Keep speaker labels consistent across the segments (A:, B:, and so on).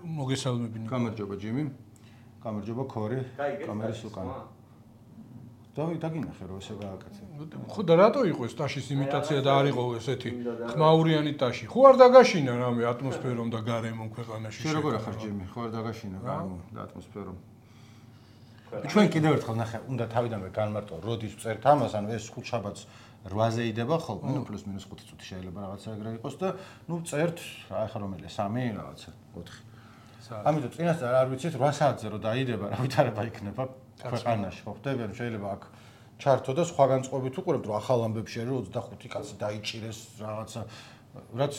A: მოგესალმებინო.
B: გამარჯობა ჯიმი. გამარჯობა ქორი. კამერის უკან. დაგინახე რომ ესე გააკეთე.
A: ხო და რატო იყო ეს ტაშის იმიტაცია და არ იყო ესეთი ხმაურიანი ტაში? ხო არ დაგაშინა რამე ატმოსფერომ და გარემომ ქვეყანაში.
B: შენ როგორ ახარ ჯიმი? ხო არ დაგაშინა გარემომ და ატმოსფერომ. ჩვენ კიდევ ერთხელ ნახე, უნდა თავიდანვე განმარტო, როდის წერთ ამას, ანუ ეს ხუთშაბათს 8-ზე იდება ხოლმე, ნუ პლუს მინუს 5 წუთი შეიძლება რაღაცა ეგრე იყოს და ნუ წერთ, ახლა რომელია 3 რაღაცა 4. ამიტომ წინასწარ არ ვიცით 8 საათზე რო დაიდება, რა ვითარება იქნება ქვეყანაში, ხო ხდები, ანუ შეიძლება აქ ჩართო და სხვა განწყობით უყურებთ, რომ ახალ ამბებში არის 25 კაცი დაიჭირეს რაღაცა, რაც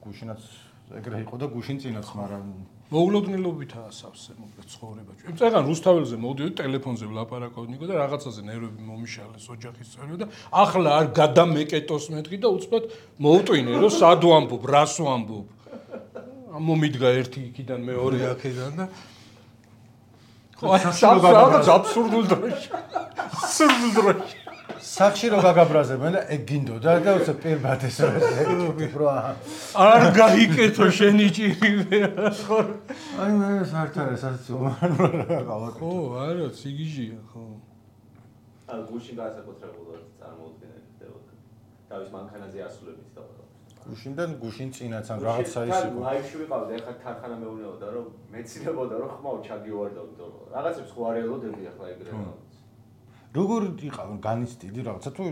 B: გუშინაც ეგრე იყო და გუშინ წინაც, მაგრამ
A: მოულოდნელობითაა სავსე მოკლედ ცხოვრება. წეგან რუსთაველზე მოვდიოდი ტელეფონზე ვლაპარაკობდნიკო და რაღაცაზე ნერვები მომიშალეს ოჯახის წევრები და ახლა არ გადამეკეტოს მეთქი და უცბად მოვტვინე რომ სად ვამბობ, რას ვამბობ. მომიდგა ერთი იქიდან მეორე აქედან და ხო რაღაც აბსურდულ დროში. აბსურდულ დროში.
B: სახში რო გაგაბრაზებენ და ეგ გინდოდა და უცე პირბად ეს რო
A: არ გაიკეთო შენი ჭირი ხო
B: აი მე საერთოდ საერთოდ
A: ხო არა ციგიჟია ხო
C: ან გუშინ განსაკუთრებულად წარმოუდგენელი ხდებოდა თავის მანქანაზე ასულებით და
B: გუშინდან გუშინ წინაც ან რაღაცა ის იყო
C: ლაივში ვიყავდი ახლა ქარხანა მეუბნებოდა რომ მეცინებოდა რომ ხმაო ჩაგივარდავდო რაღაცებს ხო არ ელოდებდი ახლა ეგრე
B: როგორ იყავენ განიცდიდი რაღაცა თუ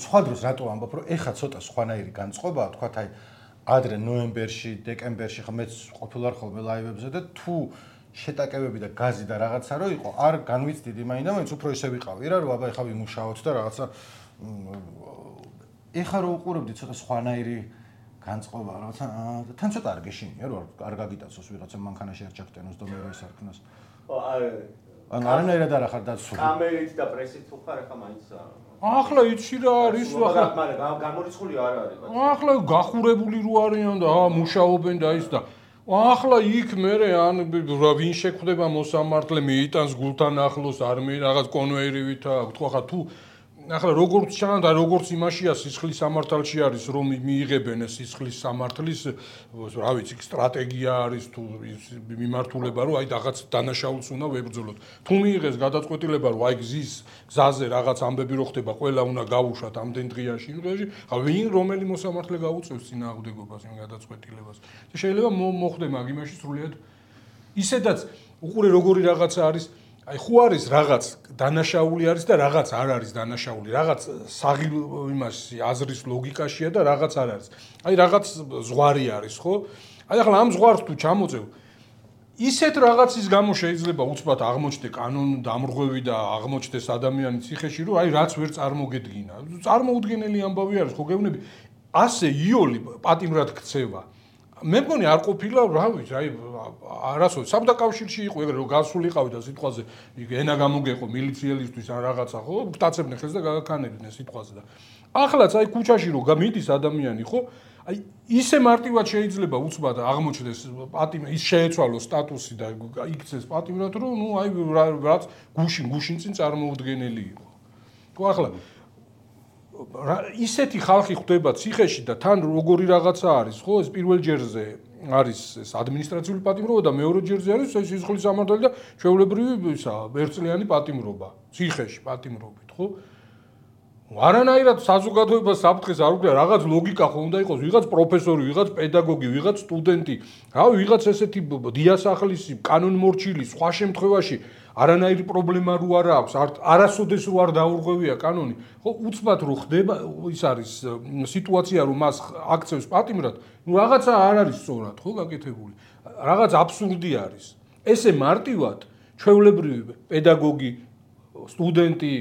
B: სხვა დროს რატო ამბობ რომ ეხა ცოტა სხვანაირი განწყობაა თქვათ აი ადრე ნოემბერში დეკემბერში ხა მეც ყოფილვარ ხოლმე ლაივებზე და თუ შეტაკებები და გაზი და რაღაცა რო იყო არ განვიცდიდი მაინდა-მაინც უფრო ისე ვიყავი რა რომ აბა ეხა ვიმუშაოთ და რაღაცა ეხა რო უყურებდი ცოტა სხვანაირი განწყობა რაღაცა თან ცოტა არ გეშინია რომ არ გაგიტაცოს ვიღაცა მანქანაში არ ჩაგტენოს და მე რო ის არქნას ან არანაირად არ ახარ დაცული.
C: კამერით და პრესით თუ ხარ ახლა მაინც
A: ახლა იცი რა არის ახლა
C: მაგრამ გამორიცხული არ არის.
A: ახლა გახურებული რო არიან და მუშაობენ და ის და ახლა იქ მე ან ვინ შეხვდება მოსამართლე მიიტანს გულთან ახლოს არ მე რაღაც კონვეირივით თუ ახლა თუ ახლა როგორც ჩანს და როგორც იმაშია სისხლის სამართალში არის რომ მიიღებენ სისხლის სამართლის რა ვიცი სტრატეგია არის თუ მიმართულება რომ აი რაღაც დანაშაულს უნდა ვებრძოლოთ თუ მიიღეს გადაწყვეტილება რომ აი გზაზე რაღაც ამბები რო ხდება ყველა უნდა გავუშვათ ამდენ დღეში ვინ რომელი მოსამართლე გაუწევს წინააღმდეგობას იმ გადაწყვეტილებას და შეიძლება მოხდე მაგ იმაში სრულიად ისედაც უყურე როგორი რაღაცა არის აი ხო არის რაღაც დანაშაული არის და რაღაც არ არის დანაშაული რაღაც საღი იმაში აზრის ლოგიკაშია და რაღაც არ არის აი რაღაც ზღვარი არის ხო აი ახლა ამ ზღვარს თუ ჩამოწევ ისეთ რაღაცის გამო შეიძლება უცბად აღმოჩნდე კანონ დამრღვევი და აღმოჩნდეს ადამიანის ციხეში რომ აი რაც ვერ წარმოგედგინა წარმოუდგენელი ამბავი არის ხო გეუბნები ასე იოლი პატიმრად ქცევა მე მგონი არ ყოფილა რა ვიცი აი არასოდეს საბჭოთა კავშირში იყო ეგრე რომ გასულიყავი და სიტყვაზე ენა გამოგეყო მილიციელისთვის ან რაღაცა ხო გტაცებდნენ ხელს და გაგაქანებდნენ სიტყვაზე და ახლაც აი ქუჩაში რომ მიდის ადამიანი ხო აი ისე მარტივად შეიძლება უცბად აღმოჩნდეს პატიმრად ის შეეცვალოს სტატუსი და იქცეს პატიმრად რომ ნუ აი რაც გუშინ წინ წარმოუდგენელი იყო ხო ახლა ისეთი ხალხი ხდება ციხეში და თან როგორი რაღაცა არის ხო ეს პირველ ჯერზე არის ეს ადმინისტრაციული პატიმრობა და მეორე ჯერზე არის ეს სისხლის სამართალი და ჩვეულებრივი ისა ერთწლიანი პატიმრობა ციხეში პატიმრობით ხო არანაირად საზოგადოება საფრთხეს არ უქმნა რაღაც ლოგიკა ხო უნდა იყოს ვიღაც პროფესორი ვიღაც პედაგოგი ვიღაც სტუდენტი რავი ვიღაც ესეთი დიასახლისი კანონმორჩილი სხვა შემთხვევაში არანაირი პრობლემა რო არ აქვს არასოდეს რო არ დაურღვევია კანონი ხო უცბად რო ხდება ის არის სიტუაცია რომ მას აქცევს პატიმრად ნუ რაღაცა არ არის სწორად ხო გაკეთებული რაღაც აბსურდი არის ესე მარტივად ჩვეულებრივი პედაგოგი სტუდენტი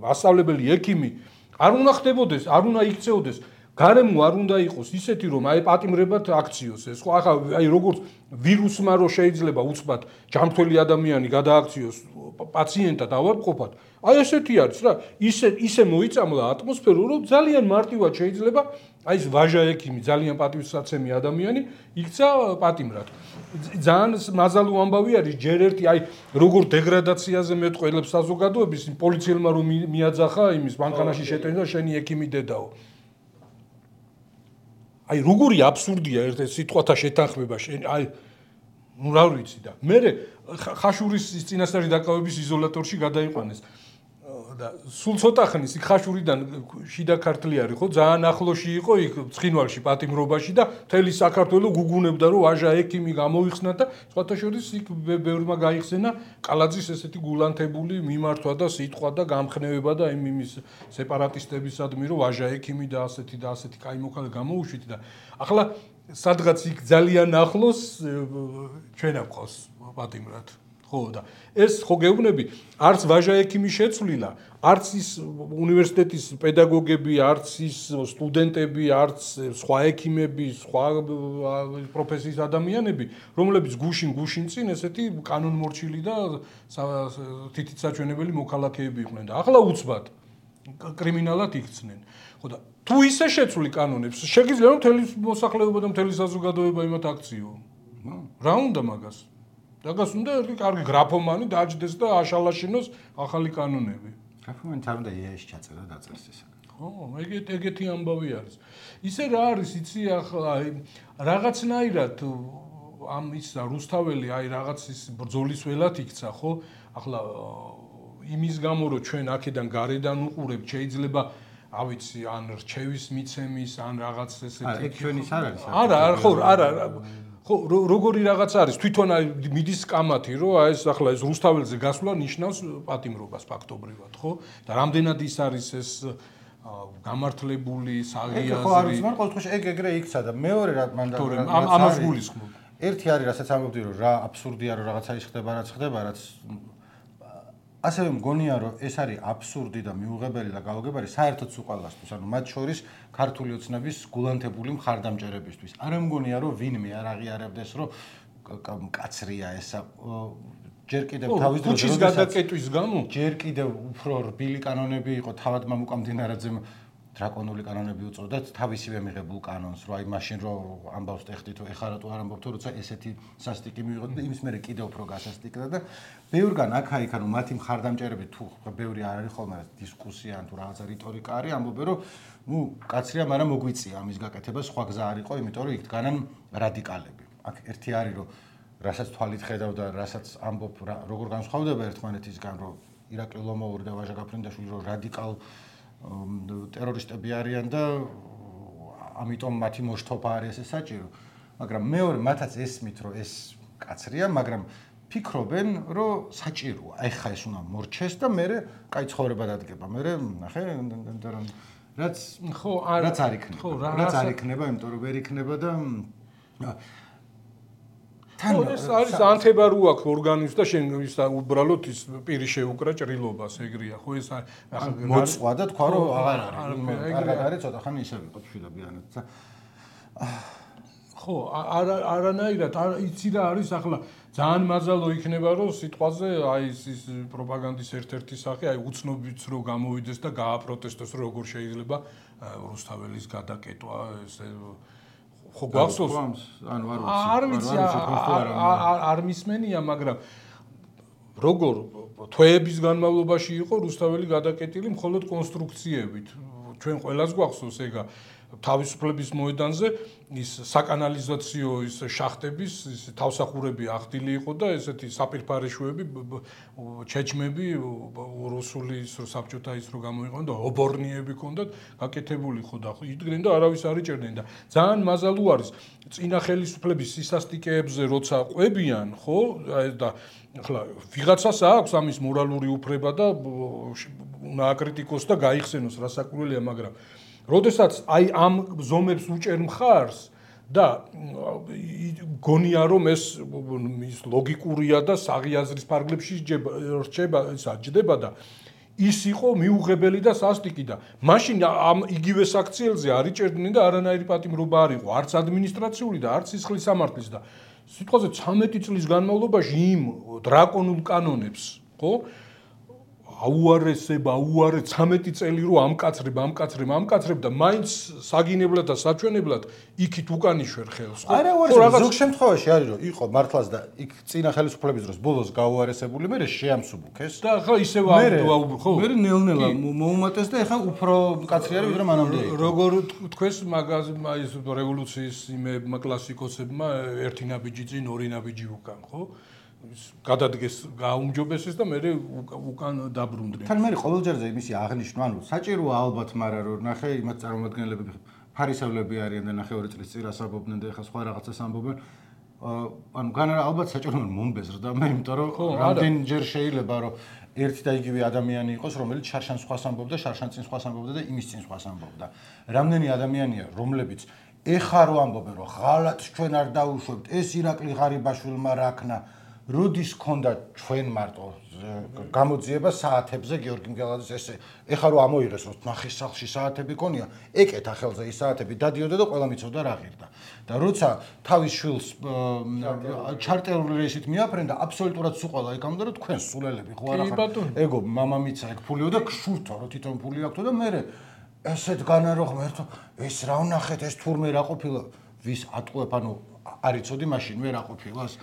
A: მასწავლებელი ექიმი არ უნდა ხდებოდეს არ უნდა იქცეოდეს გარემო არ უნდა იყოს ისეთი რომ აი პატიმრებად აქციოს ეს ხო ახლა აი როგორც ვირუსმა რო შეიძლება უცბად ჯანმრთელი ადამიანი გადააქციოს პაციენტად ავადმყოფად აი ესეთი არის რა ისე მოიწამლა ატმოსფერო რომ ძალიან მარტივად შეიძლება აი ეს ვაჟა ექიმი ძალიან პატივსაცემი ადამიანი იქცა პატიმრად ძალიან მაზალო ამბავი არის ჯერ ერთი აი როგორ დეგრადაციაზე მეტყველებს საზოგადოების პოლიციელმა რომ მიაძახა იმის მანქანაში შეტენა შენი ექიმი დედაო აი როგორი აბსურდია ერთ სიტყვათა შეთანხმება აი ნუ რა ვიცი და მე ხაშურის წინასწარი დაკავების იზოლატორში გადაიყვანეს და სულ ცოტა ხნის იქ ხაშურიდან შიდა ქართლი არის ხო ძალიან ახლოში იყო იქ ცხინვალში პატიმრობაში და მთელი საქართველო გუგუნებდა რომ ვაჟა ექიმი გამოიხსნა და სხვათა შორის იქ ბევრმა გაიხსენა კალაძის ესეთი გულანთებული მიმართვა და სიტყვა და გამხნევება და იმის სეპარატისტებისადმი რომ ვაჟა ექიმი და ასეთი კაი მოქალაქე გამოუშვით და ახლა სადღაც იქ ძალიან ახლოს ჩვენ აქვს პატიმრად ხო და ეს ხო გეუბნები არც ვაჟა ექიმი შეცვლილა არც ის უნივერსიტეტის პედაგოგები არც ის სტუდენტები არც სხვა ექიმები სხვა პროფესიის ადამიანები რომლებიც გუშინ წინ ესეთი კანონმორჩილი და თითით საჩვენებელი მოქალაქეები იყვნენ და ახლა უცბად კრიმინალად იქცნენ ხო და თუ ისე შეცვლი კანონებს შეგიძლია რომ მთელი მოსახლეობა და მთელი საზოგადოება იმათ აქციო რა უნდა მაგას დაგას უნდა ერთი კარგი გრაფომანი დაჯდეს და აშალაშინოს ახალი კანონები.
B: გრაფომანი თან უნდა იეში ჩაწერა და დაწერს ეს.
A: ხო, ეგეთი ამბავი არის. ისე რა არის, იცი ახლა რაღაცნაირად ამ ის რუსთაველი აი რაღაც ის ბრძოლის ველად იქცა, ხო? ახლა იმის გამო რომ ჩვენ აქედან გარედან უყურებთ, შეიძლება ავიცი ან რჩევის მიცემის ან რაღაც ესეთი.
B: ეგ ჩვენის არ არის.
A: არა, ხო, არა. ხო, როგორი რაღაც არის, თვითონ მიდის კამათი, რომ აი ეს ახლა ეს რუსთაველზე გასვლა ნიშნავს პატიმრობას ფაქტობრივად, ხო? და რამდენად ის არის ეს გამართლებული, საღიაზრი.
B: ხო, არის, მაგრამ ყოველ შემთხვევაში ეგრე იქცა და მეორე რა მან და
A: ამას გულისხმობ.
B: ერთი არის, რასაც ამბობდი, რომ რა აბსურდია, რომ რაღაცა ის ხდება, რაც ასევე მგონია რომ ეს არის აბსურდი და მიუღებელი და გაუგებარი საერთოდ უყალასთვის, ანუ მათ შორის ქართული ოცნების გულანთებული მხარდამჭერებისთვის. არ მგონია რომ ვინმე არ აღიარებდეს რომ კაცრია ესა ჯერ კიდევ თავის დროზე
A: ქუჩის გადაკეტვის გამო
B: ჯერ კიდევ უფრო რბილი კანონები იყო თავად მამუკა მდინარაძემ დრაკონული კანონები უწოდათ თავისივე მიღებულ კანონს, რომ აი მაშინ რომ ამბავს ტეხტი თუ ეხლა რატო არ ამბობთ, როცა ესეთი სასტიკი მიიღოთ და იმის მერე კიდევ უფრო გასასტიკდა და ბევრგან აქა-იქ ანუ მათი მხარდამჭერები თუ ბევრი არ არის ხოლმე დისკუსია ან თუ რაღაცა რიტორიკა არის, ამბობენ რომ ნუ კაცრია, მაგრამ მოგვიწია ამის გაკეთება, სხვა გზა არ იყო, იმიტომ რომ იქ დგანან რადიკალები. აქ ერთი არის რომ რასაც თვალით ხედავ და რასაც ამბობ როგორ განსხვავდება ერთმანეთისგან, რომ ირაკლი ლომოვური და ვაჟა გაფრინდაშვილი რომ რადიკალ ტერორისტები არიან და ამიტომ მათი მოშთოფა არის ეს საჭირო. მაგრამ მეორე მათაც ესმით რომ ეს კაცრია, მაგრამ ფიქრობენ რომ საჭიროა. აი ხა ეს უნდა მორჩეს და მე კაი ცხოვრება დადგება. მე ნახე რაც
A: ხო
B: რაც არ იქნება. რაც არ იქნება, იმიტომ რომ ვერ იქნება და
A: ხო ეს არის ანთებარო აქვს ორგანიზმს და შენ ის უბრალოდ ის პირი შეუკრა ჭრილობას ეგრეა ხო ეს
B: მოწვა და თქვა რომ აღარ არის კარგად არის ცოტა ხანი ისე ვიყო შვილებიანად
A: ხო არანაირად იცი რა არის ახლა ძალიან მაზალო იქნება რომ სიტყვაზე აი ის პროპაგანდის ერთ-ერთი სახე აი უცნობიც რომ გამოვიდეს და გააპროტესტოს რომ როგორ შეიძლება რუსთაველის გადაკეტვა ეს ხო გვახსოვს
B: ანუ
A: არ ვიცი არ მისმენია მაგრამ როგორ თვეების განმავლობაში იყო რუსთაველი გადაკეტილი მხოლოდ კონსტრუქციებით ჩვენ ყველას გვახსოვს ეგა თავისუფლების მოედანზე ის საკანალიზაციო ის შახტების ის თავსახურები ახდილი იყო და ესეთი საპირფარეშუები ჩეჩმები რუსული ის საბჭოთა ის რო გამოიყო და ობორნიები ჰქონდათ გაკეთებული ხო და იდგნენ და არავის არ იჭერდნენ და ძალიან მაზალო არის წინა ხელისუფლების სისასტიკეებზე როცა ყვებიან ხო და ახლა ვიღაცას აქვს ამის მორალური უფლება და უნდა აკრიტიკოს და გაიხსენოს რასაკვირველია მაგრამ როდესაც აი ამ ზომებს უჭერ მხარს და გონია რომ ეს ლოგიკურია და საღიაზრის ფარგლებში რჩება და ის იყო მიუღებელი და სასტიკი და მაშინ ამ იგივე საქციელზე არ იჭერდნენ და არანაირი პატიმრობა არ იყო არც ადმინისტრაციული და არც სისხლის სამართლის და სიტყვაზე 13 წლის განმავლობაში იმ დრაკონულ კანონებს ხო აუარესება, 13 წელი რო ამკაცრებ და მაინც საგინებლად და საჩვენებლად იქით უკან იშვერ ხელს.
B: არა, ზოგ შემთხვევაში არის რომ იყო მართლაც და იქ წინა ხელისუფლების დროს ბოლოს გაუარესებული, მე შეამსუბუქეს.
A: და ახლა ისევ აუბრ, ხო?
B: მე ნელ-ნელა მოუმატეს და ახლა უფრო მკაცრი არის ვიდრე მანამდე იყო.
A: როგორ თქვეს მაგაზმა ის რევოლუციის იმებმა კლასიკოსებმა ერთი ნაბიჯი წინ ორი ნაბიჯი უკან, ხო? გადადგეს გაუმჯობესეს და მე უკან დაბრუნდნენ.
B: თან მე ყოველჯერზე იმისი აღნიშნვა, ანუ საჭიროა ალბათ, მაგრამ რომ ნახე იმათ წარმომადგენლები ფარისევლები არიან და ნახე 2 წლის წინ ასაბობდნენ და ეხლა სხვა რაღაცას ამბობენ. ანუ ალბათ საჭიროა მომბეზრდა მე, იმიტომ რომ რამდენჯერ შეიძლება რომ ერთი და იგივე ადამიანი იყოს, რომელიც შარშან სხვას ამბობდა, შარშან წინ სხვას ამბობდა და იმის წინ სხვას ამბობდა. რამდენი ადამიანია, რომლებიც ეხა რო ამბობენ, რომ ღალატს ჩვენ არ დაუშვებთ, ეს ირაკლი ღარიბაშვილმა რაქნა როდის ქონდა ჩვენ მარტო გამოძიება საათებზე გიორგი მგელაძის ესე ეხა რომ ამოიღეს რომ ნახეს სახლში საათები ქონია ეკეთა ხელზე ის საათები დადიოდა და ყველა მიცოდა რა ღირდა და როცა თავის შვილს ჩარტერული რეისით მიაფრენდა აბსოლუტურად სულ ყველა ეკამდა რომ თქვენ სულელები ხო არა ხარ ეგო მამამიცა ეგ ფულიო და გშურთო რომ თვითონ ფული აქვს და მე ესეთ განა რო ღმერთო ეს რა ვნახეთ ეს თურმე რა ყოფილა ვის ატყუებ ანუ არიცოდი მაშინ მე რა ყოფილას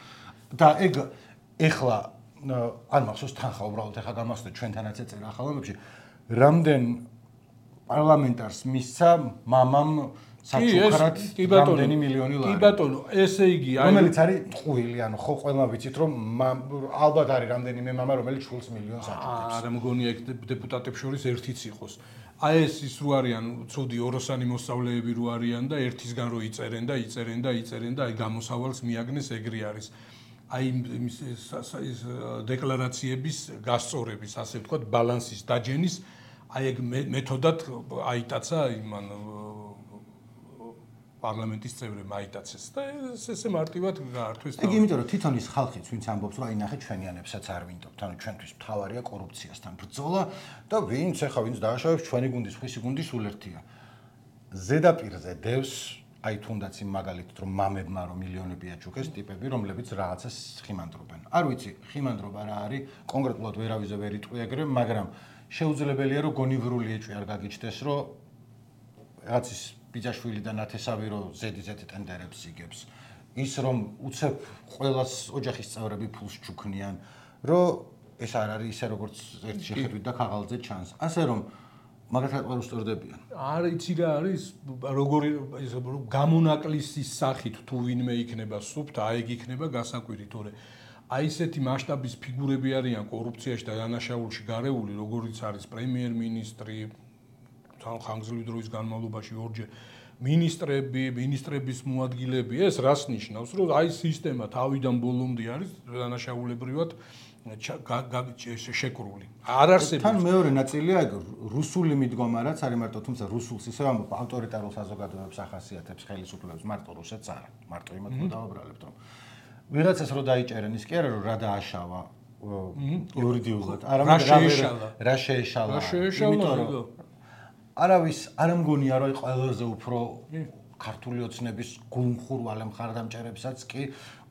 B: და ეგ ეხლა არ მახსოვს თანხა უბრალოდ ეხლა გამახსოვდა ჩვენთანაც ეწერა ახალამებში რამდენ პარლამენტარს მისცა მამამ საჩუქრად რამდენი მილიონი ლარი.
A: კი ბატონო, ესე იგი,
B: რომელიც არის ტყუილი, ანუ ხო ყველა ვიცით რომ ალბათ არის რამდენიმე მამა რომელიც შულს მილიონს აჭირებს.
A: არა მგონია ეგ დეპუტატებს შორის ერთიც იყოს. აი ეს ის რო არიან ცუდი ოროსანი მოსწავლეები რო არიან და ერთისგან რო იწერენ და აი გამოსავალს მიაგნეს ეგრე არის. აი ის დეკლარაციების გასწორების, ასე ვთქვათ, ბალანსის დაჯენის აი ეგ მეთოდად აიტაცა იმან პარლამენტის წევრებმა აიტაცეს და ესე მარტივად გაართვეს.
B: ეგ იმიტომ რომ თვითონ ის ხალხიც ვინც ამბობს რომ აი ნახე ჩვენიანებსაც არ ვინდობთ, ანუ ჩვენთვის მთავარია კორუფციასთან ბრძოლა და ვინც დააშავებს ჩვენი გუნდის, ხვისი გუნდის სულ ერთია. ზედაპირზე დევს აი თუნდაც იმ მაგალითად რომ მამებმა რომ მილიონები აჩუქეს ტიპები რომლებიც რაღაცას ხიმანდრობენ. არ ვიცი, ხიმანდრობა რა არის, კონკრეტულად ვერავიზე ვერ იტყვი ეგრე, მაგრამ შეუძლებელია რომ გონივრული ეჭვი არ გაგიჩნდეს, რომ რაღაც ის ბიძაშვილი და ნათესავი რომ ზედიზედ ტენდერებს იგებს. ის რომ უცებ ყველას ოჯახის წევრები ფულს ჩუქნიან, რომ ეს არ არის ისე როგორც ერთ შეხედვით და ქაღალდზე ჩანს. ასე რომ მაგათაც ყველა უსწორდებიან.
A: არ იცი რა არის, როგორი გამონაკლისის სახით თუ ვინმე იქნება სუფთა, აი ეგ იქნება გასაკვირი, თორე აი ესეთი მასშტაბის ფიგურები არიან კორუფციაში და დანაშაულში გარეული, როგორიც არის პრემიერ-მინისტრი ხანგრძლივი დროის განმავლობაში ორჯერ მინისტრების მოადგილეები, ეს რას ნიშნავს, რომ აი სისტემა თავიდან ბოლომდე არის დანაშაულებრივად შეკრული. არ არსებობს.
B: თან მეორე ნაწილია ეგ რუსული მიდგომა რაც არის მარტო, თუმცა რუსულს ისევ ამბობ ავტორიტარულ საზოგადოებებს ახასიათებს ხელისუფლებას, მარტო რუსეთს არა. მარტო იმათ დავაბრალებთ რომ ვიღაცას რო დაიჭერენ ის კი არა რომ რა დააშავა იურიდიულად, არამედ რა შეეშალა. იმიტომ რომ არავის არ მგონია რომ ყველაზე უფრო ქართული ოცნების გულმხურვალე მხარდამჭერებსაც კი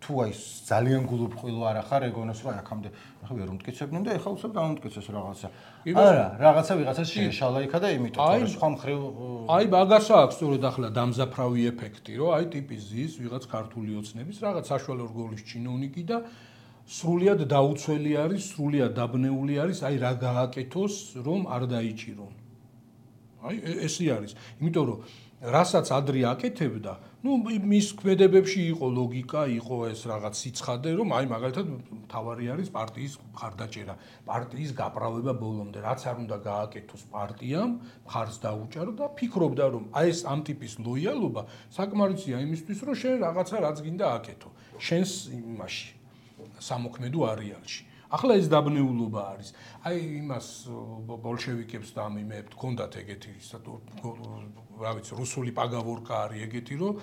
B: თუ აი ძალიან გულუბრყვილო არ ახარ ეგონოს რომ აქამდე ახლა ვერ უმტკიცებდნენ და ეხლა უცებ დაუმტკიცეს რაღაცა. არა, რაღაცა ვიღაცას შეეშალა იქა და იმიტომ რომ სხვა მხრივ
A: აი მაგას აქვს სწორედ ახლა დამზაფრავი ეფექტი, რომ აი ტიპი ზის ვიღაც ქართული ოცნების რაღაც საშუალო რგოლის ჩინოვნიკი და სრულიად დაუცველი არის, სრულიად დაბნეული არის, აი რა გააკეთოს, რომ არ დაიჭირონ. აი ესე არის. იმიტომ რომ რასაც ადრე აკეთებდა, მის ქმედებებში იყო ლოგიკა, იყო ეს რაღაც სიცხადე, რომ აი მაგალითად მთავარი არის პარტიის მხარდაჭერა, პარტიის გაправება ბოლომდე, რაც არ უნდა გააკეთოს პარტიამ, მხარს დაუჭარო და ფიქრობდა, რომ აი ეს ამ ტიპის ლოიალობა საკმარისია იმისთვის, რომ შენ რაღაცა რაც გინდა აკეთო, შენს იმაში სამოქმედო არეალში. ახლა ეს დაბნეულობა არის. აი იმას ბოლშევიკებს და ამ იმეებს ჰქონდათ ეგეთი რა ვიცი, რუსული პაგავორკა არის ეგეთი, რომ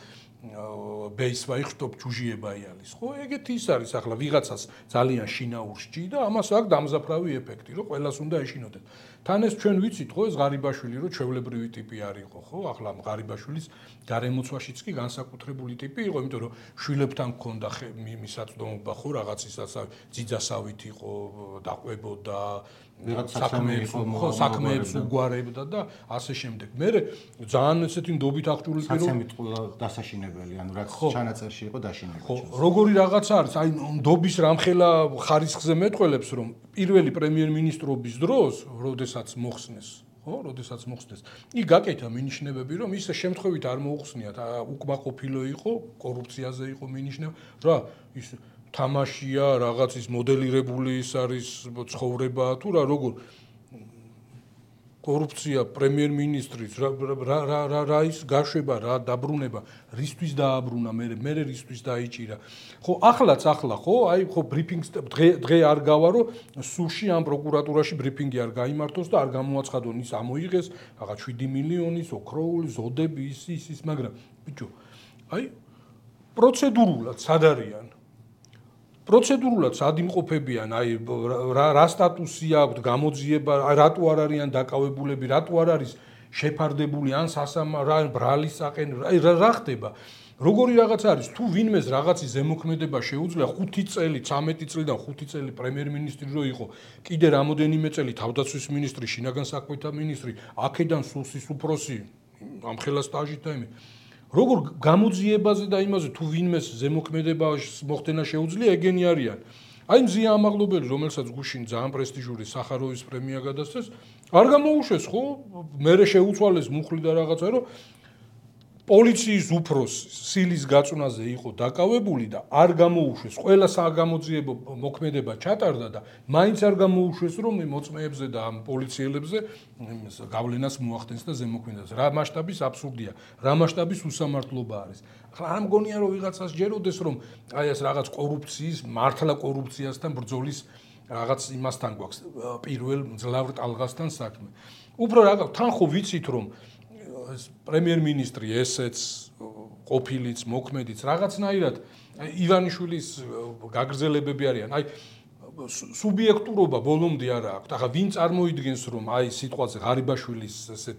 A: ბეისვაი ხტობ ჩუჟიებაიალის. ხო, ეგეთი ის არის ახლა ვიღაცას ძალიან შინაურს ჭი და ამას აქვს დამზაფრავი ეფექტი, რომ ყველას უნდა ეშინოდეთ. თან ეს ჩვენ ვიცით, ხო, ეს ღარიბაშვილი რომ ჩვეულებრივი ტიპი არისო, ხო? ახლა ღარიბაშვილის გარემოცვაშიც კი განსაკუთრებული ტიპი იყო, იმიტომ რომ შვილებთან ჰქონდა მისაწვდომობა, ხო, რაღაც ისაც ძიძასავით იყო, დაყვებოდა, საქმეებს უგვარებდა და ასე შემდეგ. მე ძალიან ესეთი ნდობით აღჭურვილი
B: საცემით ყველა დასაშინებელი, ანუ რაც ჩანაწერში იყო დაშინებული.
A: ხო, როგორი რაღაცა არის, აი ნდობის რამხელა ხარისხზე მეტყველებს, რომ პირველი პრემიერ-მინისტრობის დროს, როდესაც მოხსნეს, იქ გაკეთა მინიშნებები, რომ ის შემთხვევით არ მოუხსნიათ, უკმაყოფილო იყო, კორუფციაზე იყო მინიშნება, რა ის თამაშია, რაღაც ის მოდელირებული ის არის ცხოვრება თუ რა როგორ კორუფცია პრემიერ-მინისტრის რა ის გაშვება რა დაბრუნება რისთვის დააბრუნა მე რისთვის დაიჭირა ხო ახლა ხო აი ხო ბრიფინგს დღე არ გავა რომ სუში ამ პროკურატურაში ბრიფინგი არ გაიმართოს და არ გამოაცხადონ ის ამოიღეს რაღაც 7 მილიონის ოქროული ზოდები ის მაგრამ ბიჭო აი პროცედურულად სად არიან პროცედურულად სად იმყოფებიან, აი რა სტატუსი აქვს, გამოძიება, რატო არ არიან დაკავებულები, რატო არ არის შეფარდებული ან ბრალის საყენ, აი რა ხდება? როგორი რაღაც არის, თუ ვინმეს რაღაცის ზემოქმედება შეუძლია 5 წელი, 13 წლიდან 5 წელი პრემიერ-მინისტრი რო იყო, კიდე რამოდენიმე წელი თავდაცვის მინისტრი, შინაგან საქმეთა მინისტრი, აქედან სუსის უფროსი, ამხელა სტაჟით და იმე როგორ გამოძიებაზე და იმაზე თუ ვინმეს ზემოქმედება მოხდენა შეუძლია ეგენი არიან. აი მზია ამაღლობელი, რომელსაც გუშინ ძალიან პრესტიჟური სახაროვის პრემია გადასცეს, არ გამოუშვეს ხო? მერე შეუცვალეს მუხლი და რაღაცა, რომ პოლიციის უფროსი სილის გაწვნაზე იყო დაკავებული და არ გამოუშვეს. ყველა საგამოძიებო მოქმედება ჩატარდა და მაინც არ გამოუშვეს, რომ მოწმეებზე და ამ პოლიციელებზე გავლენას მოახდენს და ზემოქმედებას. რა მასშტაბის აბსურდია, რა მასშტაბის უსამართლობა არის. ახლა არ მგონია რომ ვიღაცას ჯეროდეს რომ აი ეს რაღაც კორუფციის, მართლა კორუფციასთან ბრძოლის რაღაც იმასთან გვაქვს პირველ მძლავრ ტალღასთან საქმე. უფრო რაღაც თან ხო ვიცით რომ პრემიერ-მინისტრი ესეც ყოფილიც მოქმედიც რაღაცნაირად ივანიშვილის გაგრძელებები არიან. აი სუბიექტურობა ბოლომდე არ აქვს. ახლა ვინ წარმოიდგენს რომ აი სიტყვაზე ღარიბაშვილის ესე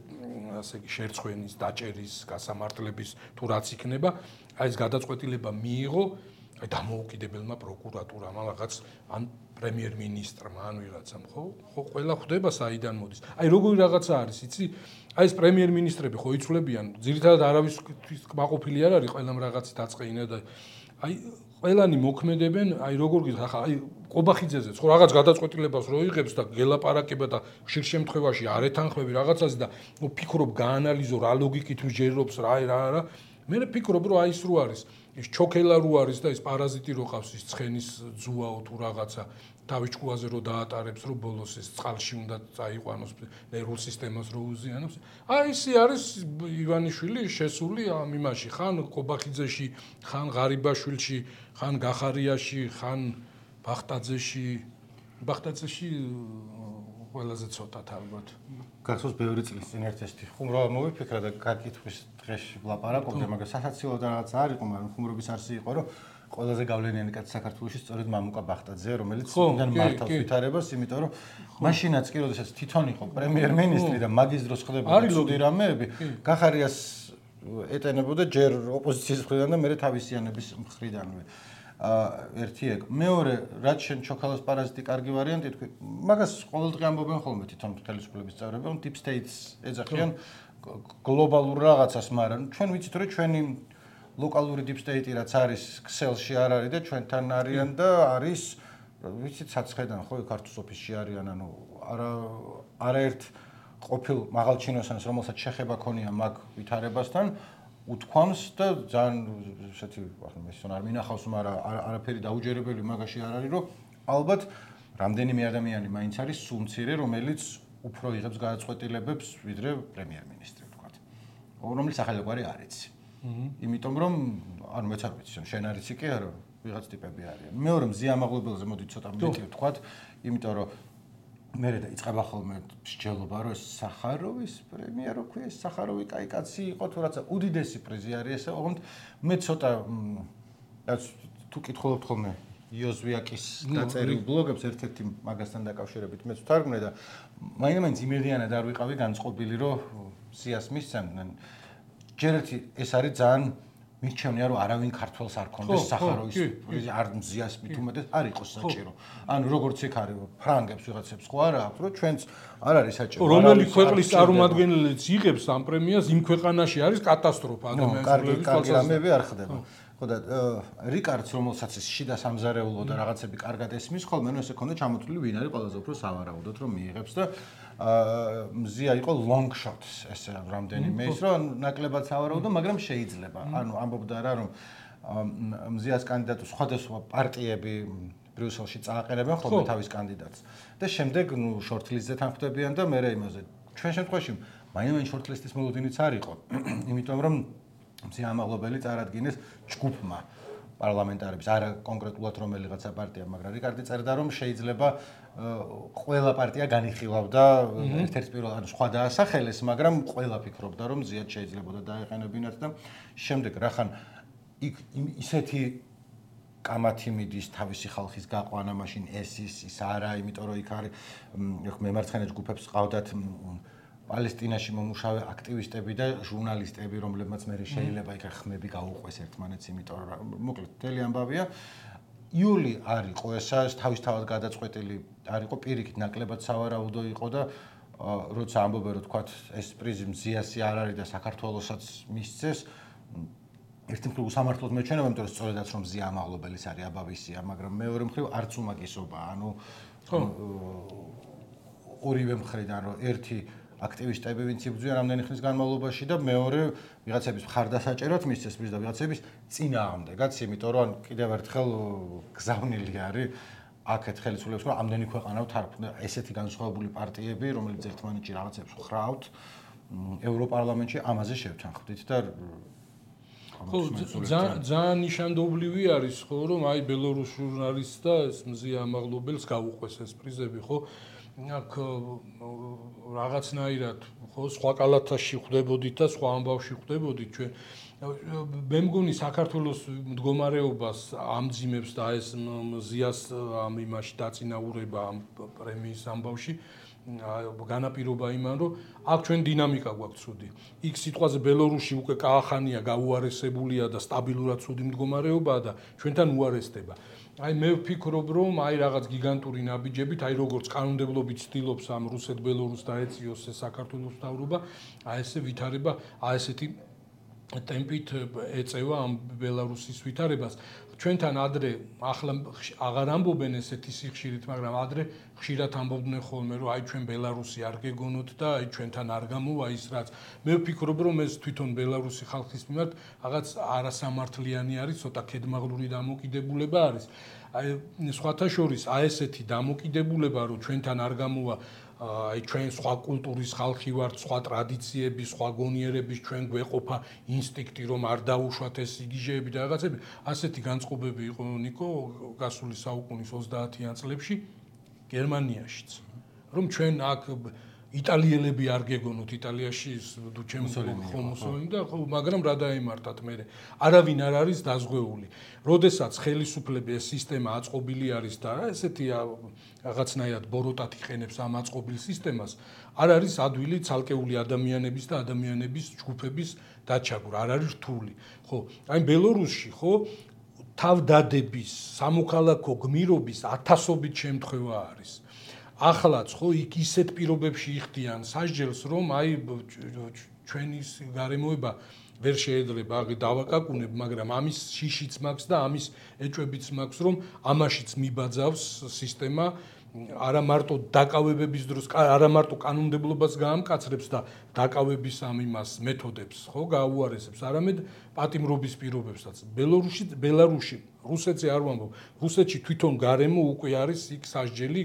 A: იგი შერცხვენის, დაჭერის, გასამართლების თუ რაც იქნება, აი ეს გადაწყვეტილება მიიღო აი დამოუკიდებელმა პროკურატურამ რაღაც ან პრემიერ-მინისტრმა ან ვიღაცამ ხო ყველა ხვდება საიდან მოდის. აი როგორი რაღაცა არის, იცი? აი ეს პრემიერ-მინისტრები ხო იცვლებიან, ძირითადად არავისთვის კმაყოფილი არ არის, ყველამ რაღაცი დაწყეინა და აი ყველანი მოქმედებენ, აი როგორ გითხარ, ახლა აი ყობახიძეზეც ხო რაღაც გადაწყვეტილებას რო იღებს და გელაპარაკება და ხშირ შემთხვევაში არ ეთანხმები რაღაცას და ფიქრობ გაანალიზო რა ლოგიკით მსჯელობს რა მე ფიქრობ რომ აი ის რო არის ის ჩოქელა რო არის და ის პარაზიტი რო ყავს ის ცხენის ძუაო თუ რაღაცა თავის ჭკუაზე რო დაატარებს რო ბოლოს ეს წყალში უნდა წაიყვანოს ნერვულ სისტემას რო უზიანოს აი ისი არის ივანიშვილი შესული ამ იმაში ხან ყობახიძეში ხან ღარიბაშვილში ხან გახარიაში ხან ბახტაძეში ყველაზე ცოტად ალბათ.
B: გახსოვს ბევრი წლის წინ ერთ-ერთი ხუმრობა მოვიფიქრა და გაკითხვის დღეში ვლაპარაკობდი, მაგრამ სასაცილო და რაღაც არ იყო, მაგრამ ხუმრობის არსი იყო, რომ ყველაზე გავლენიანი კაცი საქართველოში სწორედ მამუკა ბახტაძეა, რომელიც იმდან მართავს ვითარებას, იმიტომ რომ მაშინაც კი როდესაც თვითონ იყო პრემიერ-მინისტრი და მაგის დროს ხდებოდა ცუდი რამეები, გახარიას ეტენებოდა ჯერ ოპოზიციის მხრიდან და მერე თავისიანების მხრიდანვე. ერთი ეგ. მეორე, რაც შენ ჩოქალას პარაზიტი კარგი ვარიანტი თქვი, მაგას ყოველდღე ამბობენ ხოლმე თვითონ ხელისუფლების წევრები, რომ deep states ეძახიან გლობალურ რაღაცას, მაგრამ ჩვენ ვიცით რომ ჩვენი ლოკალური deep state რაც არის ქსელში არ არის და ჩვენთან არიან და არის ვიცით საცხედან ხო ქართულ ოფისში არიან, ანუ არაერთ ყოფილ მაღალჩინოსანს რომელსაც შეხება ქონია მაგ ვითარებასთან უთქვამს და ძალიან ესეთი ახლა მესონ არ მინახავს, მაგრამ არაფერი დაუჯერებელი მაგაში არ არის, რომ ალბათ რამდენიმე ადამიანი მაინც არის სულ მცირე, რომელიც უფრო იღებს გადაწყვეტილებებს ვიდრე პრემიერ-მინისტრი ვთქვათ. რომელიც ახალგვარი არ იცი. იმიტომ რომ არ მეც არ ვიცი, შენ არ იცი კი არა, ვიღაც ტიპები არიან. მეორე მზია ამაღლებელზე მოდი ცოტა მეტი ვთქვათ, იმიტომ რომ მე დაიწყება ხოლმე მსჯელობა, რომ სახაროვის პრემია რო ქვია, სახაროვი კაი კაცი იყო თუ რაცა უდიდესი პრიზი არის ესე, ოღონდ მე ცოტა თუ კითხულობთ ხოლმე იოზვიაკის დაწერილ ბლოგებს ერთ-ერთი მაგასთან დაკავშირებით მეც ვთარგმნე და მაინც იმედიანად არ ვიყავი განწყობილი, რომ სიას მისცემდნენ. ჯერ ერთი ეს არის ძალიან მიჩვენია რომ არავინ ქართველს არ ქონდეს სახაროვის პრიზი არ მზიას მით უმეტეს არ იყოს საჭირო. ანუ როგორც იქ არის ფრანგებს ვიღაცებს ხო არა აქვს რომ ჩვენც არ არის საჭირო.
A: რომელი ქვეყნის წარმომადგენელიც იღებს ამ პრემიას იმ ქვეყანაში არის კატასტროფა ადამიანის
B: კლუბის კარგი რამეები არ ხდება. ხო და რიკარდს რომელსაც ის შიდა სამზარეულო და რაღაცები კარგად ესმის ხოლმე ნუ ესე ქონდა ჩამოთვლილი ვინ არის ყველაზე უფრო სავარაუდოდ რომ მიიღებს და მზია იყო long shots ესე რამდენიმე ის რომ ნაკლებად სავარაუდო მაგრამ შეიძლება ანუ ამბობდა რა რომ მზიას კანდიდატი სხვადასხვა პარტიები ბრიუსელში წააყენებენ ხოლმე თავის კანდიდატს და შემდეგ ნუ შორტლისტზე თანხმდებიან და მე იმაზე ჩვენ შემთხვევაში მაინც შორტლისტის მოლოდინიც არ იყო იმიტომ რომ მზია ამაღლობელი წარადგინეს ჯგუფმა პარლამენტარების არა კონკრეტულად რომელიღაცა პარტია მაგრამ რიკარდი წერდა რომ შეიძლება ყველა პარტია განიხილავდა ერთ-ერთ პირველ ანუ სხვა დაასახელეს მაგრამ ყველა ფიქრობდა რომ მზიად შეიძლებოდა დაეყენებინათ და შემდეგ რახან იქ ისეთი კამათი მიდის თავისი ხალხის გაყვანა მაშინ ეს ის არა იმიტომ რომ იქ არის მემარცხენე ჯგუფებს ყავდათ პალესტინაში მომუშავე აქტივისტები და ჟურნალისტები, რომლებმაც მე შეიძლება იქ ხმები გაუყვეს ერთმანეთს, იმიტომ რომ მოკლედ მთელი ამბავია. იული არ იყო ესა, თავისთავად გადაწყვეტილი არ იყო, პირიქით ნაკლებად სავარაუდო იყო და როცა ამბობენ რომ თქვათ ეს პრიზი მზიასი არ არის და საქართველოსაც მისცეს, ერთი მხრივ სამართლოდ მეჩვენება, იმიტომ რომ სწორედაც რომ მზია ამაღლობელის არის აბავისია, მაგრამ მეორე მხრივ არც უმაგისობაა, ანუ ორივე მხრიდან რომ ერთი აქტივისტები ვინც იბრძვიან რამდენი ხნის განმავლობაში და მეორე ვიღაცების მხარდასაჭერად მისცეს პრიზი და ვიღაცების წინააღმდეგაც, იმიტომ რომ კიდევ ერთხელ გზავნილი არის აქეთ ხელისუფლებას, რომ ამდენი ქვეყანა თარგმნა ესეთი განსხვავებული პარტიები, რომელიც ერთმანეთში რაღაცებს ხრავთ, ევროპარლამენტში ამაზე შევთანხმდით და
A: ძალიან ნიშანდობლივი არის ხო რომ აი ბელორუს ჟურნალისტს და ეს მზია ამაღლობელს გაუყვეს ეს პრიზები ხო აქ რაღაცნაირად ხო სხვა კალათაში ხვდებოდით და სხვა ამბავში ხვდებოდით ჩვენ მე მგონი საქართველოს მდგომარეობას ამძიმებს და ეს მზიას ამ იმაში დაწინაურება ამ პრემიის ამბავში განაპირობა იმან რომ აქ ჩვენ დინამიკა გვაქვს ცუდი იქ სიტყვაზე ბელორუსში უკვე კაახანია გაუარესებულია და სტაბილურად ცუდი მდგომარეობაა და ჩვენთან უარესდება აი მე ვფიქრობ რომ აი რაღაც გიგანტური ნაბიჯებით აი როგორც კანონმდებლობით ცდილობს ამ რუსეთ-ბელორუსს დაეციოს საქართველოს მთავრობა აი ესე ვითარება აი ესეთი ტემპით ეწევა ამ ბელარუსის ვითარებას ჩვენთან ადრე ახლა აღარ ამბობენ ესეთი სიხშირით მაგრამ ადრე ხშირად ამბობდნენ ხოლმე რომ აი ჩვენ ბელარუსი არ გეგონოთ და აი ჩვენთან არ გამოვა ის რაც მე ვფიქრობ რომ ეს თვითონ ბელარუსი ხალხის მიმართ რაღაც არასამართლიანი არის ცოტა კედმაღლური დამოკიდებულება არის აი სხვათა შორის აი ესეთი დამოკიდებულება რომ ჩვენთან არ გამოვა აი ჩვენ სხვა კულტურის ხალხი ვართ, სხვა ტრადიციების, სხვა გონიერების ჩვენ გვეყოფა ინსტინქტი რომ არ დაუშვათ ეს იგიჟეები და რაღაცები. ასეთი განწყობები იყო ნიკო გასული საუკუნის 30-იან წლებში გერმანიაშიც. რომ ჩვენ აქ იტალიელები არ გეგონოთ იტალიაში ხომოსოლინი და ხო მაგრამ რა დაემართათ მე არავინ არ არის დაზღვეული. როდესაც ხელისუფლების ეს სისტემა აწყობილი არის და ესეთი რაღაცნაირად ბოროტად იყენებს ამ აწყობილ სისტემას, არ არის ადვილი ცალკეული ადამიანების და ადამიანების ჯგუფების დაჩაგვრა, არ არის რთული. ხო, აი ბელორუსში ხო თავდადების, სამოქალაქო გმირობის ათასობით შემთხვევა არის. ახლაც ხო იქ ისეთ პირობებში იხდიან სასჯელს რომ აი ჩვენი გარემოება ვერ შეიძლება აღი დავაკაკუნებ მაგრამ ამის შიშიც მაქვს და ამის ეჭვებიც მაქვს რომ ამაშიც მიბაძავს სისტემა არა მარტო დაკავებების დროს არა მარტო კანონმდებლობას გაამკაცრებს და დაკავების ამ იმას მეთოდებს ხო გაუარესებს არამედ პატიმრობის პირობებსაც ბელარუსში რუსეთზე არ ვამბობ რუსეთში თვითონ გარემო უკვე არის იქ სასჯელი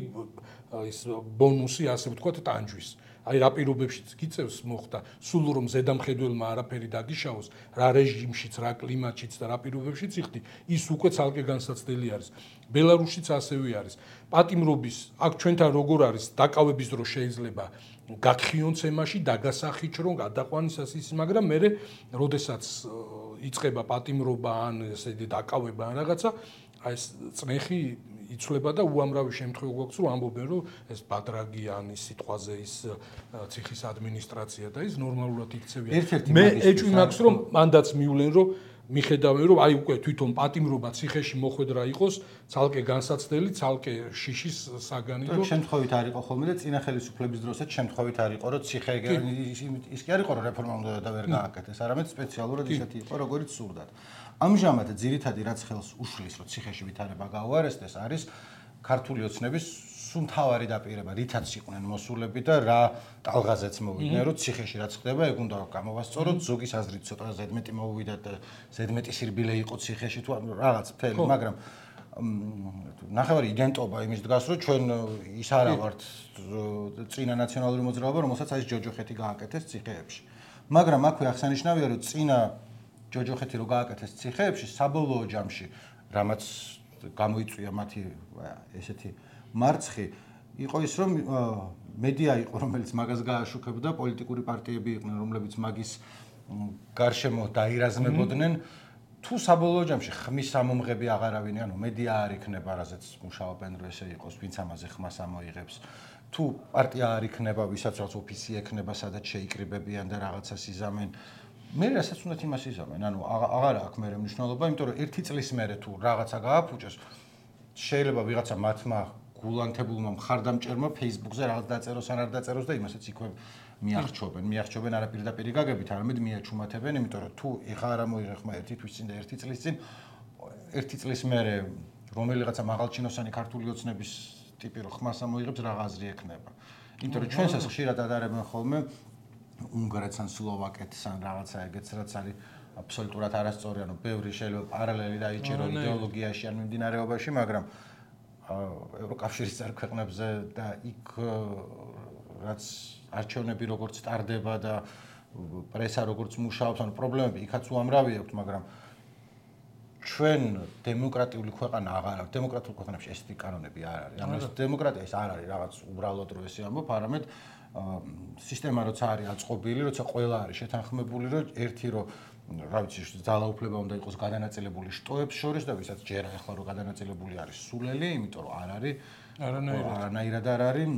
A: ის ბონუსი ასე ვთქვათ ტანჯვის აი რა პირობებშიც გიწევს მოხდა სულ რომ ზედამხედველმა არაფერი დაგიშაოს რა რეჟიმშიც რა კლიმატშიც და რა პირობებშიც იხდი ის უკვე ცალკე განსაცდელი არის ბელარუსშიც ასევე არის პატიმრობის აქ ჩვენთან როგორ არის დაკავების დრო შეიძლება გაგხიონ ცემაში დაგასახიჩ რომ გადაყვანისას ის მაგრამ მე როდესაც იწყება პატიმრობა ან ესე დაკავება ან რაღაცა აი ეს წნეხი იცვლება და უამრავი შემთხვევა გვაქვს რომ ამბობენ რომ ეს ბადრაგიანის სიტყვაზე ის ციხის ადმინისტრაცია და ის ნორმალურად იქცევიან მე ეჭვი მაქვს რომ მანდაც მივლენ რომ მიხედავენ რომ აი უკვე თვითონ პატიმრობა ციხეში მოხვედრა იყოს ცალკე განსაცდელი, ცალკე შიშის საგანი
B: რომ შემთხვევით არ იყო ხოლმე და წინა ხელისუფლების დროსაც შემთხვევით არ იყო რომ ციხე ის კი არ იყო რომ რეფორმა უნდა და ვერ გააკეთეს, არამედ სპეციალურად ისეთი იყო როგორც სურდათ. ამჟამად ძირითადი რაც ხელს უშლის რომ ციხეში ვითარება გაუარესდეს არის ქართული ოცნების სუნთავარი დაპირება, რითაც იყვნენ მოსულები და რა ტალღაზეც მოვიდნენ, რომ ციხეში რაც ხდება, ეგ უნდა გამოვასწოროთ, ზოგის აზრით ცოტა ზედმეტი მოუვიდათ და ზედმეტი სირბილე იყო ციხეში თუ რაღაც მთელი, მაგრამ ნახევარი იდენტობა იმის დგას, რომ ჩვენ ის არა ვართ წინა ნაციონალური მოძრაობა, რომელსაც აი ჯოჯოხეთი გააკეთეს ციხეებში. მაგრამ აქვე აღსანიშნავია, რომ წინა ჯოჯოხეთი რო გააკეთეს ციხეებში, საბოლოო ჯამში, რამაც გამოიწვია მათი ესეთი მარცხი იყო ის რომ მედია იყო რომელიც მაგას გააშუქებდა პოლიტიკური პარტიები იყვნენ რომლებიც მაგის გარშემო დაირაზმებოდნენ თუ საბოლოო ჯამში ხმის სამომღები აღარავინ ანუ მედია არ იქნება რაზეც მუშაობენ რომ ესე იყოს ვინც ამაზე ხმას ამოიღებს თუ პარტია არ იქნება ვისაც რაღაც ოფისი ექნება სადაც შეიკრიბებიან და რაღაცას იზამენ მე რასაც უნდა იმას იზამენ ანუ აღარა აქვს მე მნიშვნელობა იმიტომ რომ ერთი წლის მერე თუ რაღაცა გააფუჭეს შეიძლება ვიღაცა მათმა გულანთებულმა მხარდამჭერმა Facebook-ზე რაღაც დაწეროს ან არ დაწეროს და იმასაც იქვე მიახჩობენ არა პირდაპირ გაგებით, არამედ მიაჩუმათებენ, იმიტომ რომ თუ ეხა არ მოიღე ხმა ერთი თვის წინ და ერთი წლის წინ, ერთი წლის მერე რომელიღაცა მაღალჩინოსანი ქართული ოცნების ტიპი რო ხმას ამოიღებს რა აზრი ექნება. იმიტომ რომ ჩვენსაც ხშირად ადარებენ ხოლმე უნგრეთს ან სლოვაკეთს ან რაღაცა ეგეც რაც არის აბსოლუტურად არასწორი, ანუ ბევრი შეიძლება პარალელი დაიჭირო იდეოლოგიაში ან მიმდინარეობაში, მაგრამ ევროკავშირის წევრ-ქვეყნებზე და იქ რაც არჩევნები როგორც ტარდება და პრესა როგორც მუშაობს, ანუ პრობლემები იქაც უამრავი აქვს, მაგრამ ჩვენ დემოკრატიული ქვეყანა აღარ აქვს. დემოკრატიულ ქვეყნებში ესეთი კანონები არ არის. ანუ ეს დემოკრატია ის არ არის რაღაც უბრალოდ რო ესე ამბობ, არამედ სისტემა როცა არის აწყობილი, როცა ყველა არის შეთანხმებული, რომ ერთი რო რა ვიცი, ძალაუფლება უნდა იყოს გადანაწილებული შტოებს შორის და ვისაც ჯერა ახლა რომ გადანაწილებული არის სულელი, იმიტომ რომ არ არის არანაირად არ არის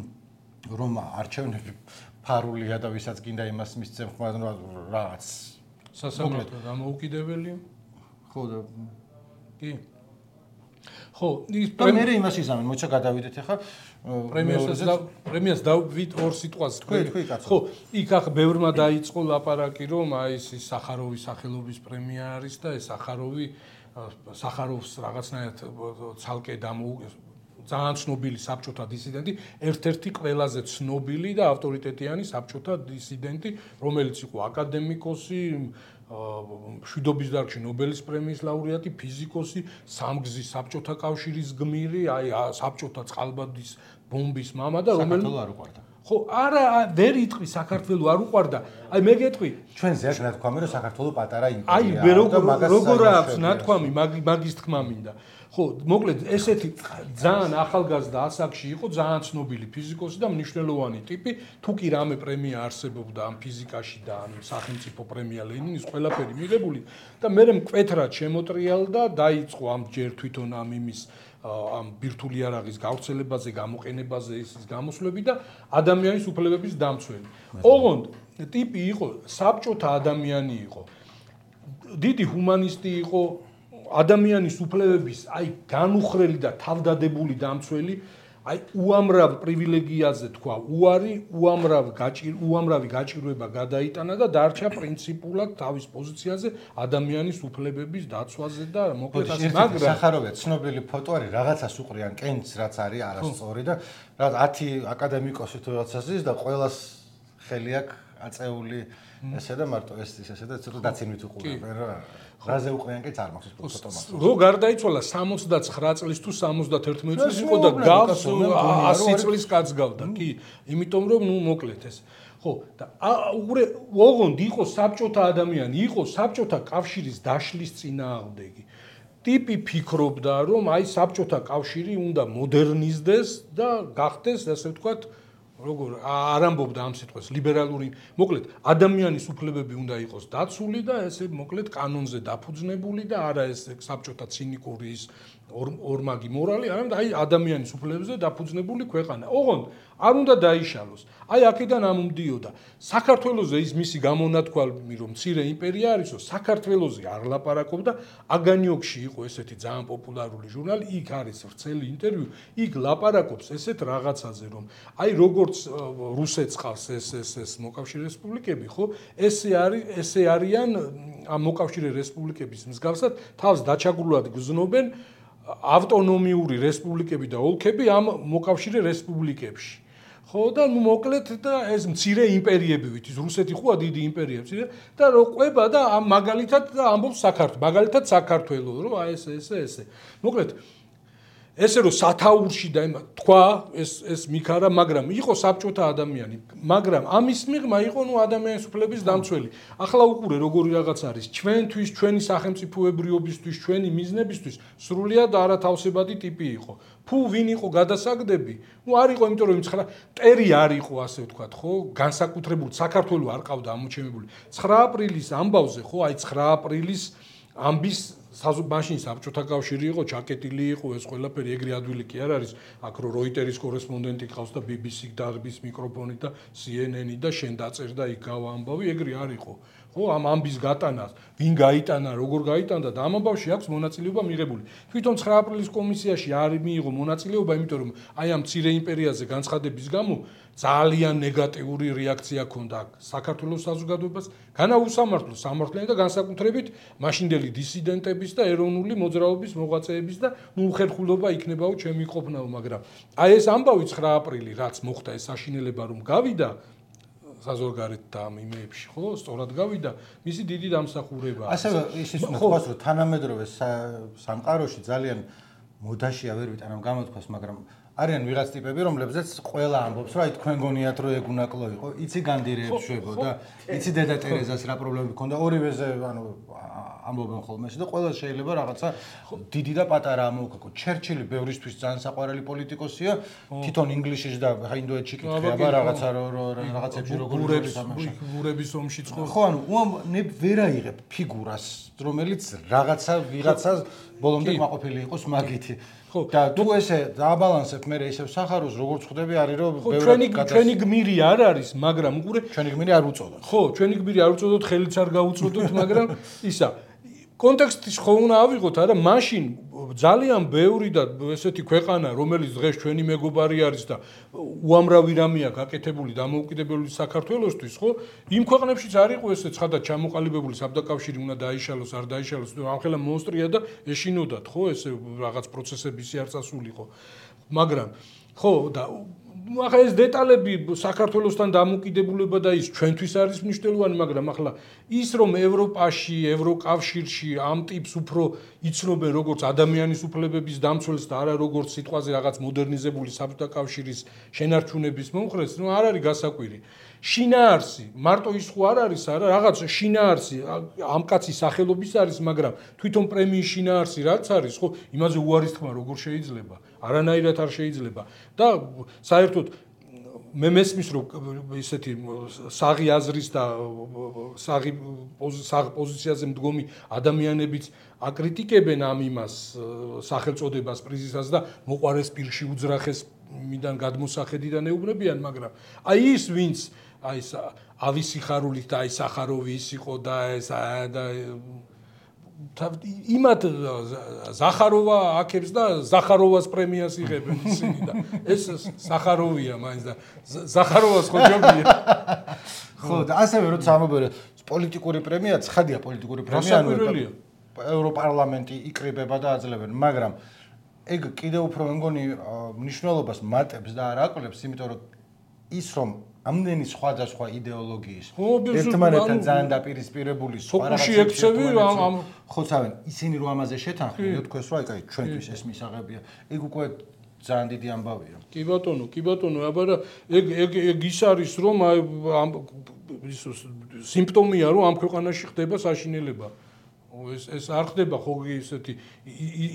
B: რომ არჩევნები ფარულია და ვისაც გინდა იმას მისცემ ხმა რაღაც
A: სასამართლო დამოუკიდებელია
B: ხო და
A: კი ხო ის
B: პრემიერი იმას იზამენ მოიცა გადავიდეთ ახლა
A: პრემიას დავით ორ სიტყვას ხო იქ ახ ბევრმა დაიწყო ლაპარაკი რომ აი ეს სახაროვის სახელობის პრემია არის და ეს სახაროვს რაღაცნაირად ცალკე ძალიან ცნობილი საბჭოთა დისიდენტი, ერთ-ერთი ყველაზე ცნობილი და ავტორიტეტიანი საბჭოთა დისიდენტი, რომელიც იყო აკადემიკოსი, მშვიდობის დარგში ნობელის პრემიის ლაურეატი, ფიზიკოსი, სამგზის საბჭოთა კავშირის გმირი, აი საბჭოთა წყალბადის ბომბის მამა და
B: რომელიც არ უყვარდა.
A: ხო, არა, ვერ იტყვი საქართველო არ უყვარდა. აი მე გეტყვი,
B: ჩვენ ზეა ნათქვამი რომ საქართველო პატარა იმპერია.
A: აი როგორ აქვს ნათქვამი მაგის თქმა მინდა. ხო, მოკლედ ესეთი ძალიან ახალგაზრდა ასაკში იყო, ძალიან ცნობილი ფიზიკოსი და მნიშვნელოვანი ტიპი, თუ კი რამე პრემია არსებობდა ამ ფიზიკაში და ამ სახელმწიფო პრემია ლენინის ყველაფერი მიღებული და მე მკვეთრად შემოტრიალდა, დაიწყო ამ ჯერ თვითონ ამ იმის ამ ბირთვული არაღის გავრცელებაზე, გამოყენებაზე ის გამოსვლები და ადამიანის უფლებების დამცველი. ოღონდ ტიპი იყო საბჭოთა ადამიანი იყო. დიდი ჰუმანისტი იყო ადამიანის უფლებების აი განუხრელი და თავდადებული დამცველი აი უამრავ პრივილეგიაზე თქვა უამრავი გაჭირვება გადაიტანა და დარჩა პრინციპულად თავის პოზიციაზე ადამიანის უფლებების დაცვაზე და მოკლედ ასე მაგრამ
B: სახაროვია ცნობილი ფოტო არის რაღაცას უყრიან კენჭს რაც არის არასწორი და რაღაც 10 აკადემიკოსი თუ რაღაცას ის და ყოველას ხელი აქვს აწეული ესე და მარტო ეს ესე და ცოტა დაცინვით უყურებენ რა რაზე უყრიან კენჭს არ მაქვს ფოტო მაქვს
A: რო გარდაიცვალა 79 წლის თუ 71 წლის იყო და გავს 100 წლის კაც გავდა კი იმიტომ რომ ნუ მოკლედ ეს ხო და ოღონდ იყო საბჭოთა ადამიანი იყო საბჭოთა კავშირის დაშლის წინააღმდეგი ტიპი ფიქრობდა რომ აი საბჭოთა კავშირი უნდა მოდერნიზდეს და გახდეს ასე ვთქვათ როგორ არ ამბობდა ამ სიტყვას ლიბერალური, მოკლედ ადამიანის უფლებები უნდა იყოს დაცული და ესე მოკლედ კანონზე დაფუძნებული და არა ეს საბჭოთა ცინიკური ის ორმაგი მორალი, არამედ აი ადამიანის უფლებებზე დაფუძნებული ქვეყანა. ოღონდ არ უნდა დაიშალოს. აი აქედან ამომდიოდა. საქართველოზე ის მისი გამონათქვამი რომ მცირე იმპერია არისო, საქართველოზე არ ლაპარაკობდა, აგანიოკში იყო ესეთი ძალიან პოპულარული ჟურნალი, იქ არის ვრცელი ინტერვიუ, იქ ლაპარაკობს ესეთ რაღაცაზე რომ აი როგორც რუსეთს ყავს ეს მოკავშირე რესპუბლიკები, ხო? ესე არიან ამ მოკავშირე რესპუბლიკების მსგავსად თავს დაჩაგრულად გზნობენ ავტონომიური რესპუბლიკები და ოლქები ამ მოკავშირე რესპუბლიკებში. ხო და მოკლედ და ეს მცირე იმპერიები ვით ის რუსეთი ხოა დიდი იმპერია მცირე და რო ყვება და ამ მაგალითად და ამბობს საქართველოს მაგალითად საქართველოს რომ აი ესე მოკლედ ესე რომ სათაურში და თქვა ეს მიქარა მაგრამ იყო საბჭოთა ადამიანი მაგრამ ამის მიღმა იყო ნუ ადამიანის უფლების დამცველი ახლა უყურე როგორი რაღაც არის ჩვენთვის ჩვენი სახელმწიფოებრიობისთვის ჩვენი მიზნებისთვის სრულიად არათავსებადი ტიპი იყო ფუ ვინ იყო გადასაგდები ნუ არ იყო იმიტომ რომ 9 მტერი არ იყო ასე ვთქვათ ხო განსაკუთრებული საქართველოს არ ყავდა ამოჩემებული 9 აპრილის ამბავზე ხო აი 9 აპრილის ამბის მაშინ საბჭოთა კავშირი იყო ჩაკეტილი იყო ეს ყველაფერი ეგრე ადვილი კი არ არის აქ რო როიტერის კორესპონდენტი ყავს და BBC დარბის მიკროფონი და CNN-ი და შენ დაწერ და იქ გავა ამბავი ეგრე არ იყო ხო ამ ამბის გატანას ვინ გაიტანა როგორ გაიტანდა და ამ ამბავში აქვს მონაწილეობა მიღებული თვითონ 9 აპრილის კომისიაში არ მიიღო მონაწილეობა იმიტომ რომ აი ამ მცირე იმპერიაზე განცხადების გამო ძალიან ნეგატიური რეაქცია ჰქონდა საქართველოს საზოგადოებას განაუსამართლოს სამართლიანი და განსაკუთრებით მაშინდელი დისიდენტების და ეროვნული მოძრაობის მოღვაწეების და უხერხულობა იქნებაო ჩემი ყოფნაო მაგრამ აი ეს ამბავი 9 აპრილი რაც მოხდა ეს საშინელება რომ გავიდა საზოგადოებრივ და ამ იმეებში ხო სწორად გავიდა მისი დიდი დამსახურებაა
B: ასევე ისიც თქვას რომ თანამედროვე სამყაროში ძალიან მოდაშია ვერ ვიტანამ გამოთქვას მაგრამ არიან ვიღაც ტიპები რომლებზეც ყველა ამბობს რომ აი თქვენ გონიათ რომ ეგ უნაკლო იყო იცი განდირეებს შვებო და იცი დედა ტერეზას რა პრობლემები ჰქონდა ორივეზე ანუ ამბობენ ხოლმე და ყველა შეიძლება რაღაცა დიდი და პატარა ამოვქო ჩერჩილი ბევრისთვის ძალიან საყვარელი პოლიტიკოსია თვითონ ინგლისში და ინდოეთში კითხება რაღაცა რაღაცებში როგორ
A: გურების ომში ხო
B: ხო ანუ ვერ აიღებ ფიგურას რომელიც რაღაცა ვიღაცას ბოლომდე მაყოფილი იყოს მაგითი ხო და თუ ესე დააბალანსებ მე ისევ სახაროს როგორც ხვდები არის რომ
A: ჩვენი გმირი არ არის მაგრამ უყურე
B: ჩვენი გმირი არ უწოდოთ
A: ხო ჩვენი გმირი არ უწოდოთ ხელიც არ გაუწოდოთ მაგრამ ისა კონტექსტის ხო უნდა ავიღოთ არა მაშინ ძალიან ბევრი და ესეთი ქვეყანა რომელიც დღეს ჩვენი მეგობარი არის და უამრავი რამეა გაკეთებული დამოუკიდებელი საქართველოსთვის ხო იმ ქვეყნებშიც არ იყო ესე ცხადად ჩამოყალიბებული საბდაკავშირი უნდა დაიშალოს არ დაიშალოს ამხელა მონსტრია და ეშინოდათ ხო ესე რაღაც პროცესები ისე არ წასულიყო მაგრამ ხო და ახლა ეს დეტალები საქართველოსთან დამოკიდებულება და ის ჩვენთვის არის მნიშვნელოვანი, მაგრამ ახლა ის რომ ევროპაში, ევროკავშირში ამ ტიპს უფრო იცნობენ როგორც ადამიანის უფლებების დამცველს და არა როგორც სიტყვაზე რაღაც მოდერნიზებული საბჭოთა კავშირის შენარჩუნების მომხრეს, ნუ არ არის გასაკვირი. შინაარსი, მარტო ის ხო არ არის, არა, რაღაც შინაარსი ამ კაცის სახელობის არის, მაგრამ თვითონ პრემიის შინაარსი რაც არის, ხო, იმაზე უარის თქმა როგორ შეიძლება? არანაირად არ შეიძლება და საერთოდ მე მესმის რომ ისეთი საღი აზრის და საღი პოზიციაზე მდგომი ადამიანებიც აკრიტიკებენ ამ იმას სახელწოდებას პრიზისას და მოყარეს პირში უძრახეს მიდან გადმოსახედიდან ეუბნებიან მაგრამ აი ის ვინც აი ეს ავისიხარულით და აი სახაროვი ის იყო და ეს და იმათ ზახაროვა აქებს და ზახაროვას პრემიას იღებენ ისინი და ეს ზახაროვია მაინც და ზახაროვას ხო ჯობია
B: ხო და ასევე როცა ამობერე პოლიტიკური პრემია ცხადია პოლიტიკური პრემია ევროპარლამენტი იკრიბება და აძლევენ მაგრამ ეგ კიდევ უფრო მე მგონი მნიშვნელობას მატებს და არ აკლებს იმიტომ რომ ის რომ ამდენი სხვადასხვა იდეოლოგიის ერთმანეთთან ძალიან დაპირისპირებული სხვა
A: რაღაცები
B: ხოცავენ ისინი რომ ამაზე შეთანხმდნენ თქვენს რა აი ჩვენთვის ეს მისაღებია ეგ უკვე ძალიან დიდი ამბავია
A: კი ბატონო აბა ეგ ის არის რომ ამ სიმპტომია რომ ამ ქვეყანაში ხდება საშინელება ეს არ ხდება ხოლმე ესეთი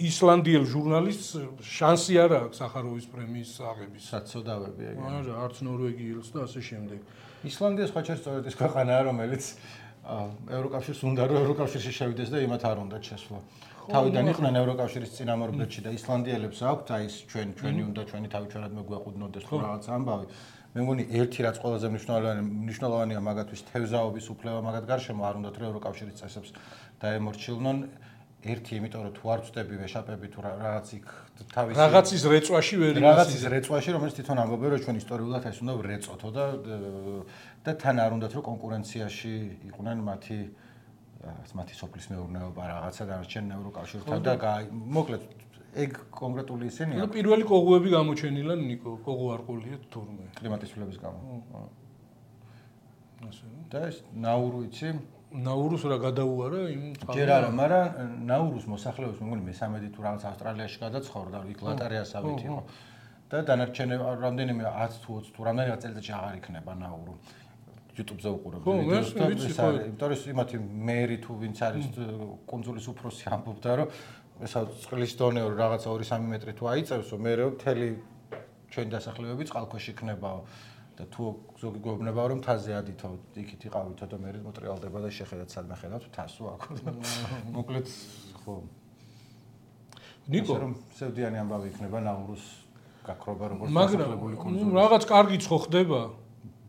A: ისლანდიელ ჟურნალისტს შანსი არ აქვს სახაროვის პრემიის აღების.
B: საწოდავები ეგ.
A: არა, არც ნორვეგიელს და ასე შემდეგ.
B: ისლანდია სხვაჩერ სწორედ ის ქვეყანაა, რომელიც ევროკავშირს უნდა რომ ევროკავშირში შევიდეს და იმათ არ უნდა შესვლა. თავიდან იყვნენ ევროკავშირის წინამორბედში და ისლანდიელებს აქვთ აი ეს ჩვენი უნდა ჩვენი თავი ჩვენად მეგვეყუდნოდეს თუ რაღაც ამბავი. მე მგონი ერთი რაც ყველაზე მნიშვნელოვანია მაგათთვის თევზაობის უფლება მაგათ გარშემო არ უნდათ რომ ევროკავშირის წესებს დაემორჩილნონ ერთი იმიტომ რომ თუ არ ვწდები ვეშაპები თუ რაღაც იქ თავის
A: რაღაცის რეწვაში ვერ
B: რაღაცის რეწვაში რომელიც თვითონ ამბობენ რომ ჩვენ ისტორიულად ეს უნდა ვრეწოთო და თან არ უნდათ რომ კონკურენციაში იყვნენ მათი სოფლის მეურნეობა რაღაცა დანარჩენ ევროკავშირთან და მოკლედ ეგ კონკრეტული ისინია.
A: და პირველი კოღუები გამოჩენილა ნიკო, კოღუ არყულია თურმე.
B: კლიმატის ცვლილების გამო.
A: ასე.
B: და ეს ნაურუ იცი?
A: ნაურუს რა გადაუარა იმ
B: ჯერ არა, მაგრამ ნაურუს მოსახლეობის მე მგონი მე-13 თუ რაღაც ავსტრალიაში გადაცხოვრდა, იქ ლატარიასავით იყო. და დანარჩენი რამდენიმე 10 თუ 20 თუ რამდენიმე წელიწადში აღარ იქნება ნაურუ. YouTube-ზე უყურებ ვიდეოს და ეს არის, იმიტომ რომ იმათი მერი თუ ვინც არის კუნძულის უფროსი ამბობდა რომ ესა წყლის დონე რაღაცა 2-3 მეტრი თუ აიწევსო, მერე მთელი ჩვენი დასახლებები წყალქვეშ იქნებაო და თუ ზოგი გვეუბნება რომ მთაზე ადითო, იქით იყავითო და მერე მოტრიალდება და შეხედათ სადმე ხედავთ თასო აქ. მოკლედ ხო.
A: ნიკო
B: რომ სევდიანი ამბავი იქნება ნაურუს გაქრობა როგორც
A: დასახლებული კუნძული. რაღაც კარგიც ხო ხდება?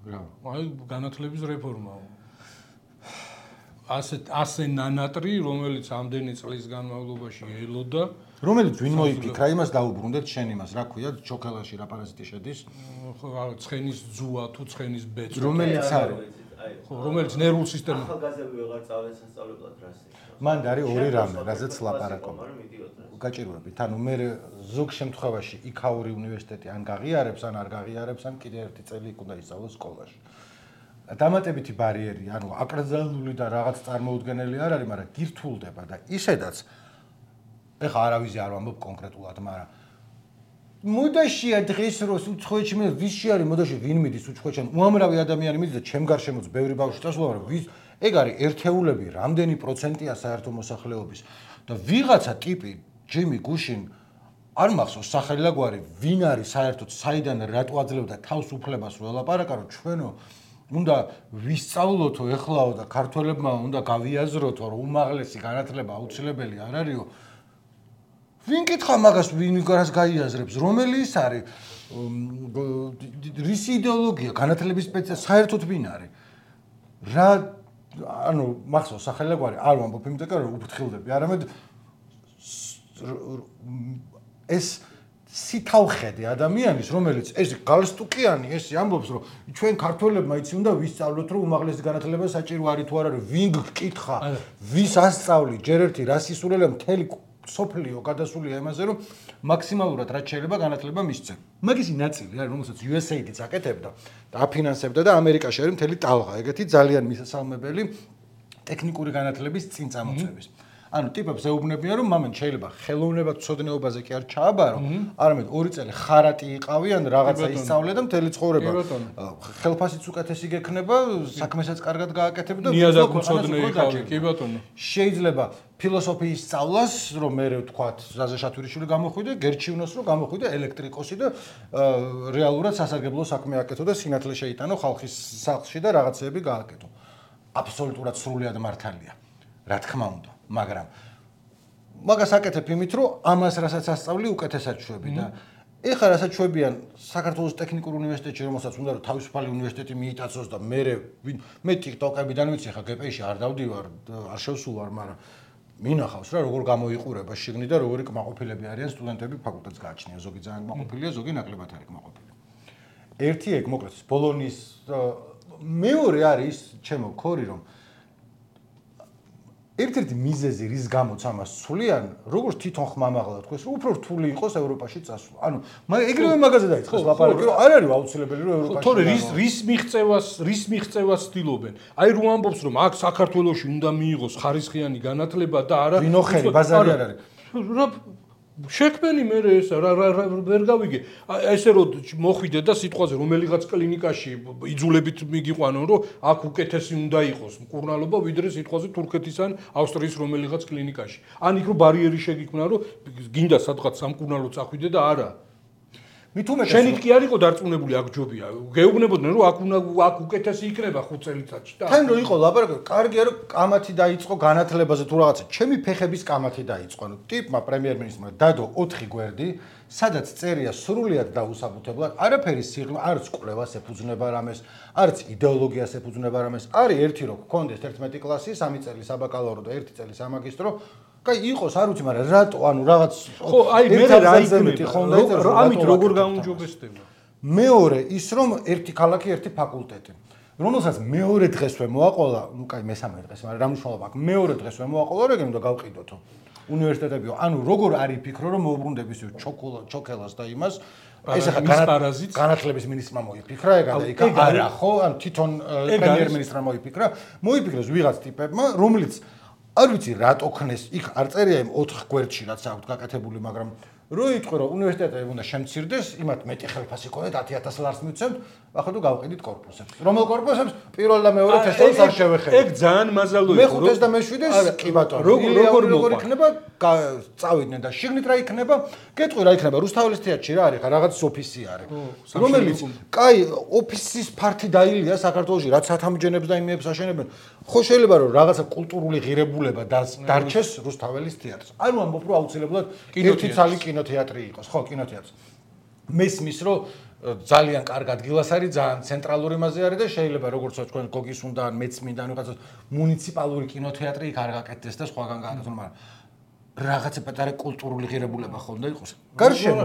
B: რა?
A: აი განათლების რეფორმაა. ასე ნანატრი, რომელიც ამდენი წლის განმავლობაში ელოდა,
B: რომელიც ვინ მოიფიქრა იმას დაუბრუნდეთ შენ იმას, რა ქვია, ჩოქელაში რა პარაზიტი შედის?
A: ხო, ცხენის ძუა თუ ცხენის ბეწვი.
B: რომელიც არის?
A: ხო, რომელიც ნერვულ სისტემას.
C: ახალგაზრდები ვეღარ წავენ სასწავლებლად რას იქ.
B: მან არის ორი რამე, რაზეც ლაპარაკობ. გაჭირვებით. ანუ მე ზოგ შემთხვევაში იქაური უნივერსიტეტი ან გაღიარებს, ან არ გაღიარებს, ან კიდე ერთი წელი იქ უნდა ისწავლოს სკოლაში. დამატებითი ბარიერი, ანუ აკრძალული და რაღაც წარმოუდგენელი არ არის, მაგრამ გირთულდება და ისედაც ეხა არავის არ ვამბობ კონკრეტულად, მაგრამ მოდაშია დღეს როს უცხოეთში მე ვისში არის მოდაში ვინ მიდის უცხოეთში, უამრავი ადამიანი მიდის და ჩემ გარშემოც ბევრი ბავშვი წასვლა, მაგრამ ვის ეგ არის ერთეულები, რამდენი პროცენტია საერთო მოსახლეობის და ვიღაცა ტიპი ჯიმი გუშინ არ მახსოვს სახელი და გვარი, ვინ არის საერთოდ საიდან რატო აძლევდა თავს უფლებას რომ ელაპარაკა, რომ ჩვენო უნდა ვისწავლოთო ეხლაო და ქართველებმა უნდა გავიაზროთო რომ უმაღლესი განათლება აუცილებელი არ არისო. ვინ კითხა მაგას, ვინ გარას გაიაზრებს, რომელი ის არის? რისი იდეოლოგია, განათლების სპეციალისტი საერთოდ ვინ არის? რა ანუ მახსოვს სახელი და გვარი, არ ვამბობ იმიტომ რომ უფრთხილდები, არამედ ეს სითავხედე ადამიანის, რომელიც ეს გალსტუკიანი, ეს ამბობს, რომ ჩვენ ქართველებმა იცი უნდა ვისწავლოთ, რომ უმაღლესი განათლება საჭირო არის თუ არა, ვინ გკითხა, ვის ასწავლი, ჯერ ერთი რას ისურველი, მთელი სოფლიო გადასულია იმაზე, რომ მაქსიმალურად რაც შეიძლება განათლება მისცენ. მაგისი ნაწილი არის, რომელსაც USAID-იც აკეთებდა და აფინანსებდა და ამერიკაში არის მთელი ტალღა, ეგეთი ძალიან მისასალმებელი ტექნიკური განათლების წინ წამოწევის. ანუ ტიპებს ეუბნებიან რომ მამენ შეიძლება ხელოვნებად ცოდნეობაზე კი არ ჩააბარო, არამედ 2 წელი ხარატი იყავი ან რაღაცა ისწავლე და მთელი ცხოვრება ხელფასიც უკეთესი გექნება, საქმესაც კარგად გააკეთებ და
A: ნიადაგ უცოდნე იყავი, კი ბატონო.
B: შეიძლება ფილოსოფიის სწავლას, რომ მე ვთქვათ, ზაზე შათვირიშვილი გამოხვიდე, გერჩივნოს რომ გამოხვიდე ელექტრიკოსი და რეალურად სასარგებლო საქმე აკეთო და სინათლე შეიტანო ხალხის სახლში და რაღაცეები გააკეთო. აბსოლუტურად სრულიად მართალია. რა თქმა უნდა. მაგრამ მაგას აკეთებ იმით, რომ ამას რასაც ასწავლი უკეთესად შვები და ეხლა რასაც შვებიან საქართველოს ტექნიკურ უნივერსიტეტში, რომელსაც უნდა რომ თავისუფალი უნივერსიტეტი მიიტაცოს და მე TikTok-ებიდან ვიცი, ხა GP-ში არ დავდივარ, არ შევსულვარ, მაგრამ მინახავს რა როგორ გამოიყურება შიგნით და როგორი კმაყოფილები არიან სტუდენტები ფაკულტეტს გააჩნია, ზოგი ძალიან კმაყოფილია, ზოგი ნაკლებად არის კმაყოფილი. ერთი ეგ მოკლედ ბოლონის მეორე არის ჩემო ქორი რომ ერთ-ერთი მიზეზი რის გამოც ამას სულიან, როგორც თვითონ ხმამაღლა თქვეს, რომ უფრო რთული იყოს ევროპაში წასვლა. ანუ ეგრევე მაგაზე დაიწყეს ლაპარაკი, რომ არ არის აუცილებელი რომ ევროპაში.
A: თორე რის მიღწევას ცდილობენ. აი რომ ამბობს რომ აქ საქართველოში უნდა მიიღოს ხარისხიანი განათლება და არა
B: ვინოხელი ბაზარი არ არის.
A: შექმენი მე ეს ვერ გავიგე. ესე რომ მოხვიდე და სიტყვაზე რომელიღაც კლინიკაში იძულებით მიგიყვანო, რომ აქ უკეთესი უნდა იყოს მკურნალობა, ვიდრე სიტყვაზე თურქეთის ან ავსტრიის რომელიღაც კლინიკაში. ან იქ რომ ბარიერი შეგიქმნა, რომ გინდა სადღაც სამკურნალო წახვიდე და არა.
B: მით უმეტეს
A: შენით კი არ იყო დარწმუნებული აქ ჯობია. გეუბნებოდნენ რომ აქ უკეთესი იქნება 5 წელიწადში და
B: თან რო იყო ლაპარაკი, კარგია რომ კამათი დაიწყო განათლებაზე თუ რაღაცა. ჩემი ფეხების კამათი დაიწყო. ტიპმა პრემიერ-მინისტრმა დადო 4 გვერდი, სადაც წერია სრულიად დაუსაბუთებლად, არაფერი სიღრმე, არც კვლევას ეფუძნება რამეს, არც იდეოლოგიას ეფუძნება რამეს. არის ერთი რო გქონდეს 11 კლასი, 3 წელი საბაკალავრო და 1 წელი სამაგისტრო. კაი იყოს, არ ვიცი, მაგრამ რატო, ანუ რაღაც
A: ხო, აი მე რა იქნება, ამით როგორ გაუნჯობესდება.
B: მეორე ის რომ ერთი ქალაქი, ერთი ფაკულტეტი. რომელსაც მეორე დღესვე მოაყოლა, ну კაი მესამე დღეს, მაგრამ რა მნიშვნელობა აქვს? მეორე დღესვე მოაყოლა, რეგენ და გავყიდოთო. უნივერსიტეტებიო, ანუ როგორ არის ფიქრო რომ მოუბრუნდების ჩოქელას და იმას ეს ახლა განათლების მინისტრმა მოიფიქრა ეგა და იქა არა ხო, ანუ თვითონ პრემიერ-მინისტრმა მოიფიქრა, მოიფიქრეს ვიღაც ტიპებმა, რომელიც არ ვიცი რატო ხნეს, იქ არ წერია იმ 4 გვერდში რაც აქვს გაკეთებული, მაგრამ რო იტყვი რომ უნივერსიტეტები უნდა შემცირდეს, იმათ მეტი ხელფასი ქონდეთ 10000 ლარს მივცემთ, ახლა თუ გავყიდით კორპუსებს. რომელ კორპუსებს? პირველ და მეორე თესლს არ შევეხები.
A: ეგ ძალიან მაზალო იყო.
B: მეხუთეს და მეშვიდეს კი ბატონო. როგორ იქნება? წავიდნენ და შიგნით რა იქნება? გეტყვი რა იქნება? რუსთაველის თეატრში რა არის? რაღაც ოფისი არის. რომელიც კაი ოფისის ფართი დაილია საქართველოში, რაც სათამბჯენებს და იმებს აშენებენ. ხო შეიძლება რომ რაღაცა კულტურული ღირებულება დარჩეს რუსთაველის თეატრს. ანუ ამბობ რომ აუცილებლად ერთი ცალი კინოთეატრი იყოს, ხო, კინოთეატრს. მესმის რომ ძალიან კარგ ადგილას არის, ძალიან ცენტრალური მასე არის და შეიძლება როგორც თქვენ გოგის უნდა ან მეც მინდა რაღაცა მუნიციპალური კინოთეატრი იქ არ გაკეთდეს და სხვაგან გააკეთონ, მაგრამ რაღაცა პატარა კულტურული ღირებულება ხონდა იყოს. გარშემო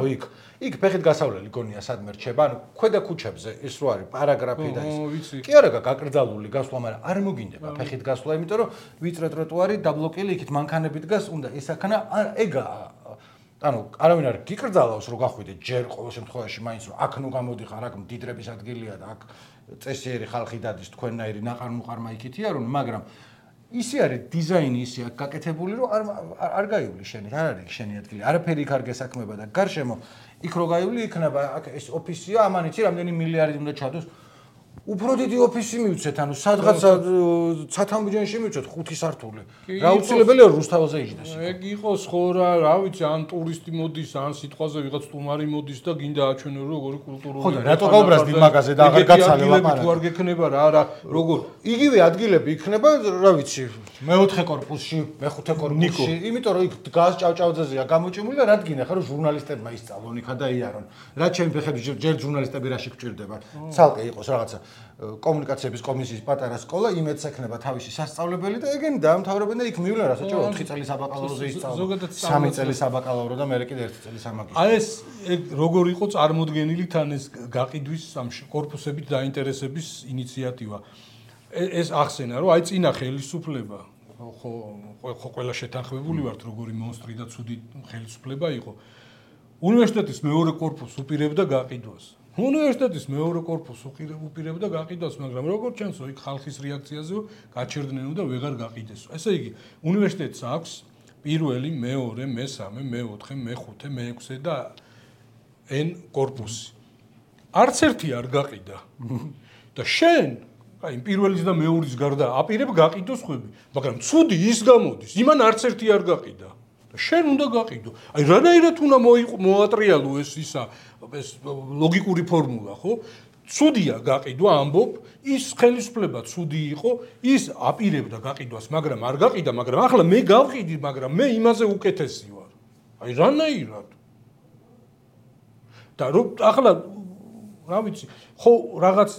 B: იქ ფეხით გასავლელი გონია სადმე რჩება, ანუ ქვედა ქუჩებზე ის რო არის პარაგრაფი და ის. კი არა გაკრძალული გასვლა, მაგრამ არ მოგინდება ფეხით გასვლა, იმიტომ რომ ვიწრო ტროტუარი დაბლოკილი იქით მანქანებით დგას, უნდა ესაქნა ეგა ანუ არავინ არ გიკრძალავს რომ გახვიდე ჯერ ყოველ შემთხვევაში მაინც რომ აქ ნუ გამოდიხარ, აქ მდიდრების ადგილია და აქ წესიერი ხალხი დადის თქვენნაირი ნაყარ-მუყარმა იქითია რომ მაგრამ ისი არის დიზაინი ისი აქ გაკეთებული რომ არ გაივლი შენი არ არის შენი ადგილი არაფერი იქ არ გესაქმება და გარშემო იქ რო გაივლი იქნება აქ ეს ოფისია ამან იცი რამდენი მილიარდი უნდა ჩადოს უფრო დიდი ოფისი მივცეთ ანუ სადღაც სათამბჯენში მივცეთ 5 სართული რა უცილებელია რუსთაველზე იჯდეს
A: ეგ იყოს ხო რა ვიცი ან ტურისტი მოდის ან სიტყვაზე ვიღაც სტუმარი მოდის და გინდა აჩვენო როგორი კულტურული
B: ხო და რატო გაუბრაზდი მაგაზე და აღარ გაცალე ლაპარაკი
A: თუ არ გექნება რა როგორ
B: იგივე ადგილები იქნება რა ვიცი მეოთხე კორპუსში მეხუთე კორპუსში იმიტომ რომ იქ დგას ჭავჭავძეზეა გამოჭიმული და რადგინე ხარ რომ ჟურნალისტებმა ისწავლონ იქა და იარონ რა ჩემი ფეხები ჯერ ჟურნალისტები რაში გჭირდება ცალკე იყოს რაღაცა კომუნიკაციების კომისიის პატარა სკოლა იმედს ექნება თავისი სასწავლებელი და ეგენი დაამთავრებენ და იქ მივლენ რასაც 4 წელი საბაკალავროზე ისწავლენ 3 წელი საბაკალავრო და მე კიდე 1 წელი სამაგისტრო
A: აი ეს როგორ იყო წარმოდგენილი თან ეს გაყიდვის კორპუსებით დაინტერესების ინიციატივა ეს ახსენა რომ აი წინა ხელისუფლება ხო ყველა შეთანხმებული ვართ როგორი მონსტრი და ცუდი ხელისუფლება იყო უნივერსიტეტის მეორე კორპუსს უპირებდა გაყიდვას უნივერსიტეტის მეორე კორპუსს უპირებდა გაყიდვას, მაგრამ როგორც ჩანს, იქ ხალხის რეაქციაზე გაჩერდნენ და ვეღარ გაყიდესო. ესე იგი, უნივერსიტეტს აქვს პირველი, მეორე, მესამე, მეოთხე, მეხუთე, მეექვსე და N კორპუსი. არც ერთი არ გაყიდა. და შენ, აი, პირველის და მეორის გარდა აპირებ გაყიდოს ხვები, მაგრამ ცუდი ის გამოდის, იმან არც ერთი არ გაყიდა. შენ უნდა გაყიდო. აი რანაირად უნდა მოატრიალო ეს ლოგიკური ფორმულა, ხო? ცუდია გაყიდვა, ამბობ, ის ხელისუფლება ცუდი იყო, ის აპირებდა გაყიდვას, მაგრამ არ გაყიდა, მაგრამ ახლა მე გავყიდი, მაგრამ მე იმაზე უკეთესი ვარ. აი რანაირად. და რომ ახლა რა ვიცი, ხო რაღაც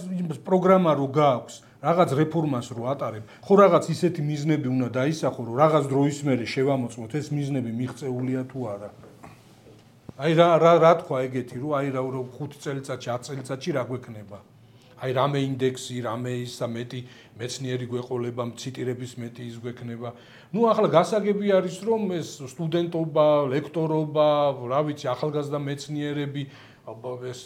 A: პროგრამა რო გააქვს რაღაც რეფორმას რო ატარებ, ხო რაღაც ისეთი მიზნები უნდა დაისახო, რომ რაღაც დროის მერე შევამოწმოთ ეს მიზნები მიღწეულია თუ არა. აი რა თქვა ეგეთი, რომ აი რა 5 წელიწადში, 10 წელიწადში რა გვექნება. აი რამე ინდექსი, რამე ისა მეტი მეცნიერი გვეყოლება, ციტირების მეტი ის გვექნება. ნუ ახლა გასაგები არის, რომ ეს სტუდენტობა, ლექტორობა, რა ვიცი, ახალგაზრდა მეცნიერები ეს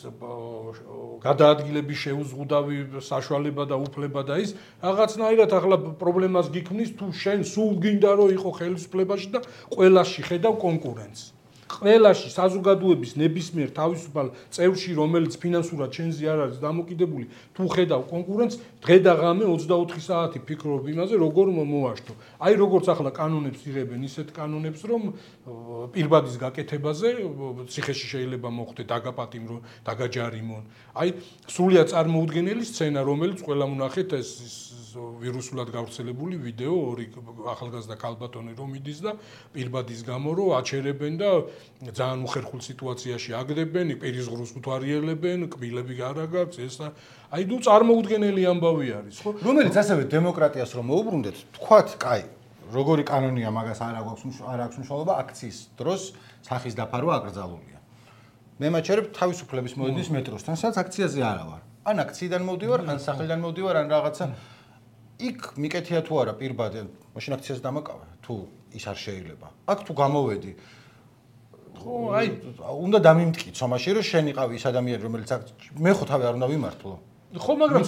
A: გადაადგილების შეუზღუდავი საშუალება და უფლება და ის რაღაცნაირად ახლა პრობლემას გიქმნის თუ შენ სულ გინდა რომ იყო ხელისუფლებაში და ყველაში ხედავ კონკურენცს. ყველაში საზოგადოების ნებისმიერ თავისუფალ წევრში, რომელიც ფინანსურად ჩვენზე არ არის დამოკიდებული, თუ ხედავ კონკურენტს, დღე და ღამე 24 საათი ფიქრობ იმაზე, როგორ მოვაშთო. აი როგორც ახლა კანონებს იღებენ, ისეთ კანონებს, რომ პირბადის გაკეთებაზე ციხეში შეიძლება მოხდე დაგაპატიმრო, დაგაჯარიმონ. აი სრულიად წარმოუდგენელი სცენა, რომელიც ყველა მონახეთ ეს ვირუსულად გავრცელებული ვიდეო ორი ახალგაზრდა ქალბატონი რომ იდის და პირბადის გამო რომ აჩერებენ და ძალიან უხერხულ სიტუაციაში აგდებენ, პირის ღრუს უთვალიერებენ, კბილები არ აქვს ეს აი ნუ წარმოუდგენელი ამბავი არის, ხო?
B: რომელიც ასევე დემოკრატიას რომ მოუბრუნდეთ, თქვათ, კაი, როგორი კანონია მაგას არ აქვს მნიშვნელობა აქციის დროს სახის დაფარვა აკრძალულია. მე მაჩერებ თავისუფლების მოედნის მეტროსთან, სადაც აქციაზე არა ვარ. ან აქციიდან მოვდივარ, ან სახელიდან მოვდივარ, ან რაღაცა იქ მიკეთია თუ არა პირბადე, მაშინ აქციას დამაკავე, თუ ის არ შეიძლება. აქ თუ გამოვედი, ხო, აი, უნდა დამიმტკიცო მაშინ, რომ შენ იყავი ის ადამიანი, რომელიც მე ხო თავი არ უნდა ვიმართლო.
A: ხო, მაგრამ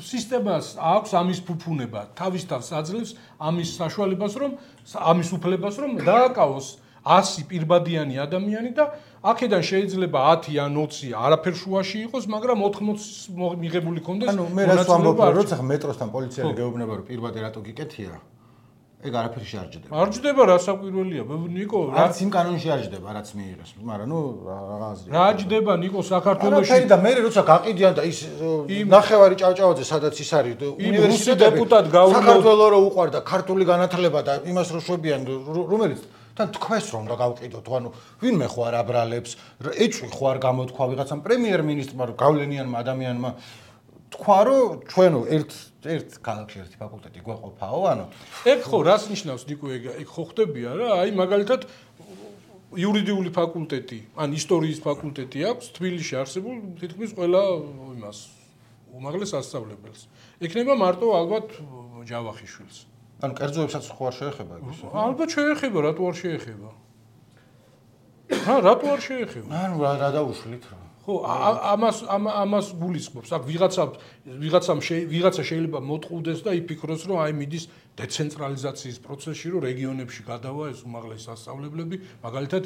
A: სისტემას აქვს ამის ფუფუნება, თავის თავს აძლევს ამის საშუალებას, რომ ამის უფლებას, რომ დააკავოს 100 პირბადიანი ადამიანი და აქედან შეიძლება 10 ან 20 არაფერ შუაში იყოს, მაგრამ 80 მიღებული კონდეს.
B: ანუ მე რას ვამბობ, როცა მეტროსთან პოლიციელი გეუბნება, რომ პირბადე რატო გიკეთია, ეგ არაფერში არ ჯდება.
A: არ ჯდება, რა საკვირველია, ნიკო,
B: რაც იმ კანონში არ ჯდება, რაც მიიღეს, მაგრამ ნუ რაღაცა.
A: რა ჯდება, ნიკო, საქართველოში.
B: და მე როცა გაყიდიან და ის ნახევარი ჭავჭავაძე, სადაც ის არის,
A: უნივერსიტეტები,
B: საქართველოს რო უყარდა ქართული განათლება და იმას რო შვებიან, რომელიც თან თქვენს რომ უნდა გავყიდოთ, ანუ ვინმე ხო არ აბრალებს, ეჭვი ხო არ გამოთქვა ვიღაცამ პრემიერ-მინისტრმა, რომ გავლენიანმა ადამიანმა თქვა, რომ ჩვენო ერთ ქალაქში ერთი ფაკულტეტი გვეყოფაო, ანუ
A: ეგ ხო რას ნიშნავს ნიკო ეგ ხო ხდებია რა, აი მაგალითად იურიდიული ფაკულტეტი, ან ისტორიის ფაკულტეტი აქვს თბილისში არსებულ თითქმის ყველა იმას უმაღლეს სასწავლებელს. ექნება მარტო ალბათ ჯავახიშვილს.
B: ანუ კერძოებსაც ხო არ შეეხება ის?
A: ალბათ შეეხება, რატო არ შეეხება? რატო არ შეეხება?
B: ანუ რა დაუშვით რა.
A: ხო, ამას გულისხმობს. აქ ვიღაცა შეიძლება მოტყუდეს და იფიქროს, რომ აი მიდის დეცენტრალიზაციის პროცესში, რომ რეგიონებში გადავა ეს უმაღლესი სასწავლებლები, მაგალითად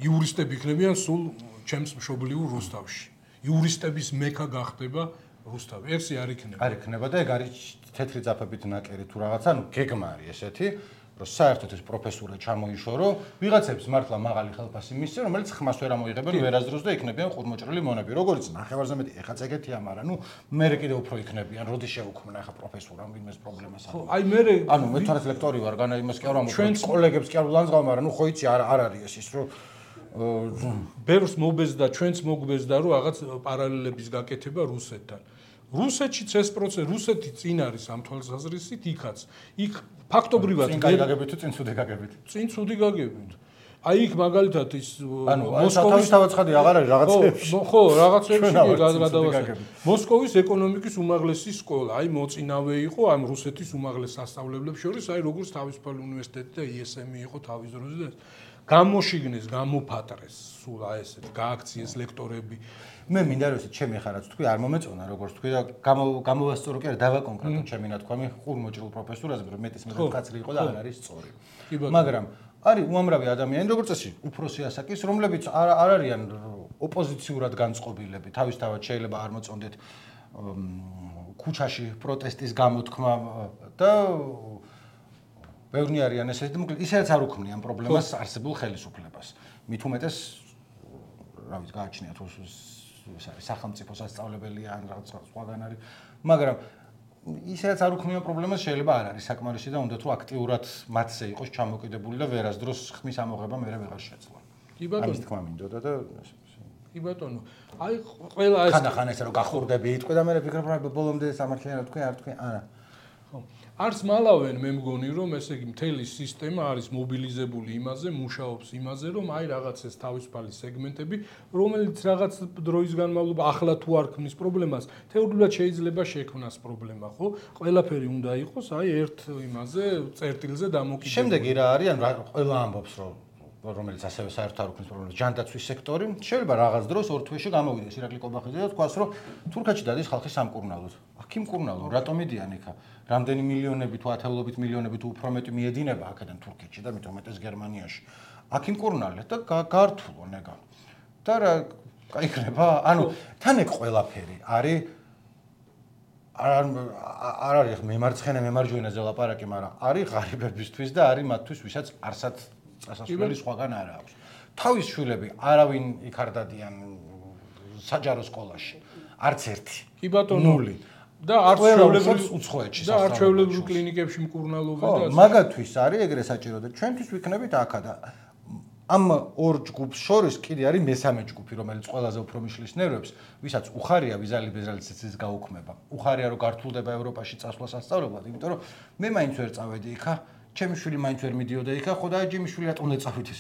A: იურისტები იქნებიან სულ ჩემს მშობლიურ რუსთავში. იურისტების მექა გახდება რუსთავი. ეგ არ იქნება.
B: არ იქნება და ეგ არის თეთრი ძაფებით ნაკერი თუ რაღაცა, ანუ გეგმა არის ესეთი, რომ საერთოდ ეს პროფესურა ჩამოიშორო, ვიღაცებს მართლა მაღალი ხელფასი მისცენ, რომელიც ხმას ვერ ამოიღებენ ვერასდროს და იქნებიან ხურმოჭრილი მონები. როგორც ნახევარზე მეტი ეხაც ეგეთია, მაგრამ ნუ მე კიდე უფრო იქნებიან, როდის შეუქმნა ახლა პროფესურამ ვინმეს პრობლემას აქვს.
A: ხო, აი მე
B: ანუ მე თვითონაც ლექტორი ვარ, განა იმას კი არ ვამბობ, კოლეგებს კი არ ვლანძღავ, მაგრამ ნუ ხო იცი არ არის ის რომ
A: ბერს მობეზდა, ჩვენც მოგვბეზდა, რომ რაღაც პარალელების გაკეთება რუსეთთან. რუსეთშიც ეს პროცესი, რუსეთი წინ არის ამ თვალსაზრისით, იქაც. იქ ფაქტობრივად
B: წინ გაგებით თუ წინ ცუდი გაგებით?
A: წინ ცუდი გაგებით. აი იქ მაგალითად ის
B: მოსკოვის თავაცხადი აღარ არის რაღაცებში.
A: ხო, რაღაცებში გადავასწრებ. მოსკოვის ეკონომიკის უმაღლესი სკოლა, აი მოწინავე იყო ამ რუსეთის უმაღლეს სასწავლებლებს შორის, აი როგორც თავისუფალი უნივერსიტეტი და ISM-ი იყო თავის დროზე და გამოშიგნეს, გამოფატრეს, სულ აი ესეთ გააქციეს ლექტორები.
B: მე მინდა რომ ჩემი ხარაც თქვი არ მომეწონა როგორც თქვი და გამოვასწორო კი არა დავაკონკრეტო ჩემი ნათქვამი ხურმოჭრილ პროფესორაზე რომ მეტის მეტად კაცრი იყო და არ არის სწორი. მაგრამ არის უამრავი ადამიანი როგორც წესი უფროსი ასაკის რომლებიც არ არიან ოპოზიციურად განწყობილები თავისთავად შეიძლება არ მოწონდეთ ქუჩაში პროტესტის გამოთქმა და ბევრი არიან ესეთი და ისედაც არ უქმნიან პრობლემას არსებულ ხელისუფლებას. მით უმეტეს რა ვიცი გააჩნიათ ეს არის სახელმწიფო სასწავლებელი ან რაღაც სხვაგან არის, მაგრამ ისედაც არ უქმნიან პრობლემას შეიძლება არ არის საკმარისი და უნდა თუ აქტიურად მათზე იყოს ჩამოკიდებული და ვერასდროს ხმის ამოღება მე ვეღარ შეძლო.
A: კი ბატონო.
B: ამის თქმა მინდოდა და
A: კი ბატონო. აი ყველა ეს
B: ხან ეს რომ გახურდები იტყვი და მე ვფიქრობ რომ ბოლომდე სამართლიანი თქვი არ თქვი არა.
A: ხო. არც მალავენ მე მგონი რომ ესე იგი მთელი სისტემა არის მობილიზებული იმაზე, მუშაობს იმაზე, რომ აი რაღაც ეს თავისუფალი სეგმენტები, რომელიც რაღაც დროის განმავლობაში ახლა თუ არ ქმნის პრობლემას, თეორიულად შეიძლება შექმნას პრობლემა, ხო? ყველაფერი უნდა იყოს აი ერთ იმაზე, წერტილზე დამოკიდებული.
B: შემდეგი რა არის, ან ყველა ამბობს რომ რომელიც ასევე საერთოდ არ უქმნის პრობლემას, ჯანდაცვის სექტორი, შეიძლება რაღაც დროს ორ თვეში გამოვიდეს ირაკლი კობახიძე და თქვას, რომ თურქეთში დადის ხალხი სამკურნალოდ. აქ იმკურნალო, რატომ მიდიან იქა? რამდენი მილიონები თუ ათეულობით მილიონები თუ უფრო მეტი მიედინება აქედან თურქეთში და მით უმეტეს გერმანიაში. აქ იმკურნალეთ და გართულო ნეგა. და რა გაიქნება? ანუ თან ეგ ყველაფერი არის არ არის მემარცხენე მემარჯვენეზე ლაპარაკი, მაგრამ არის ღარიბებისთვის და არის მათთვის, ვისაც არსად წასასვლელი სხვაგან არ აქვს. თავის შვილები არავინ იქ არ დადიან საჯარო სკოლაში. არც ერთი.
A: კი ბატონო.
B: ნული.
A: და არჩეულებრივ
B: უცხოეთში
A: და არჩეულებრივ კლინიკებში მკურნალობა და
B: მაგათვის არის ეგრე საჭირო და ჩვენთვის ვიქნებით აქა და ამ ორ ჯგუფს შორის კიდე არის მესამე ჯგუფი, რომელიც ყველაზე უფრო მიშლის ნერვებს, ვისაც უხარია ვიზალი ბეზრალიცის გაუქმება. უხარია რომ გართულდება ევროპაში წასვლა სასწავლებლად, იმიტომ რომ მე მაინც ვერ წავედი იქა, ჩემი შვილი მაინც ვერ მიდიოდა იქა, ხო და ჯიმი შვილი რატომ უნდა წავით ის?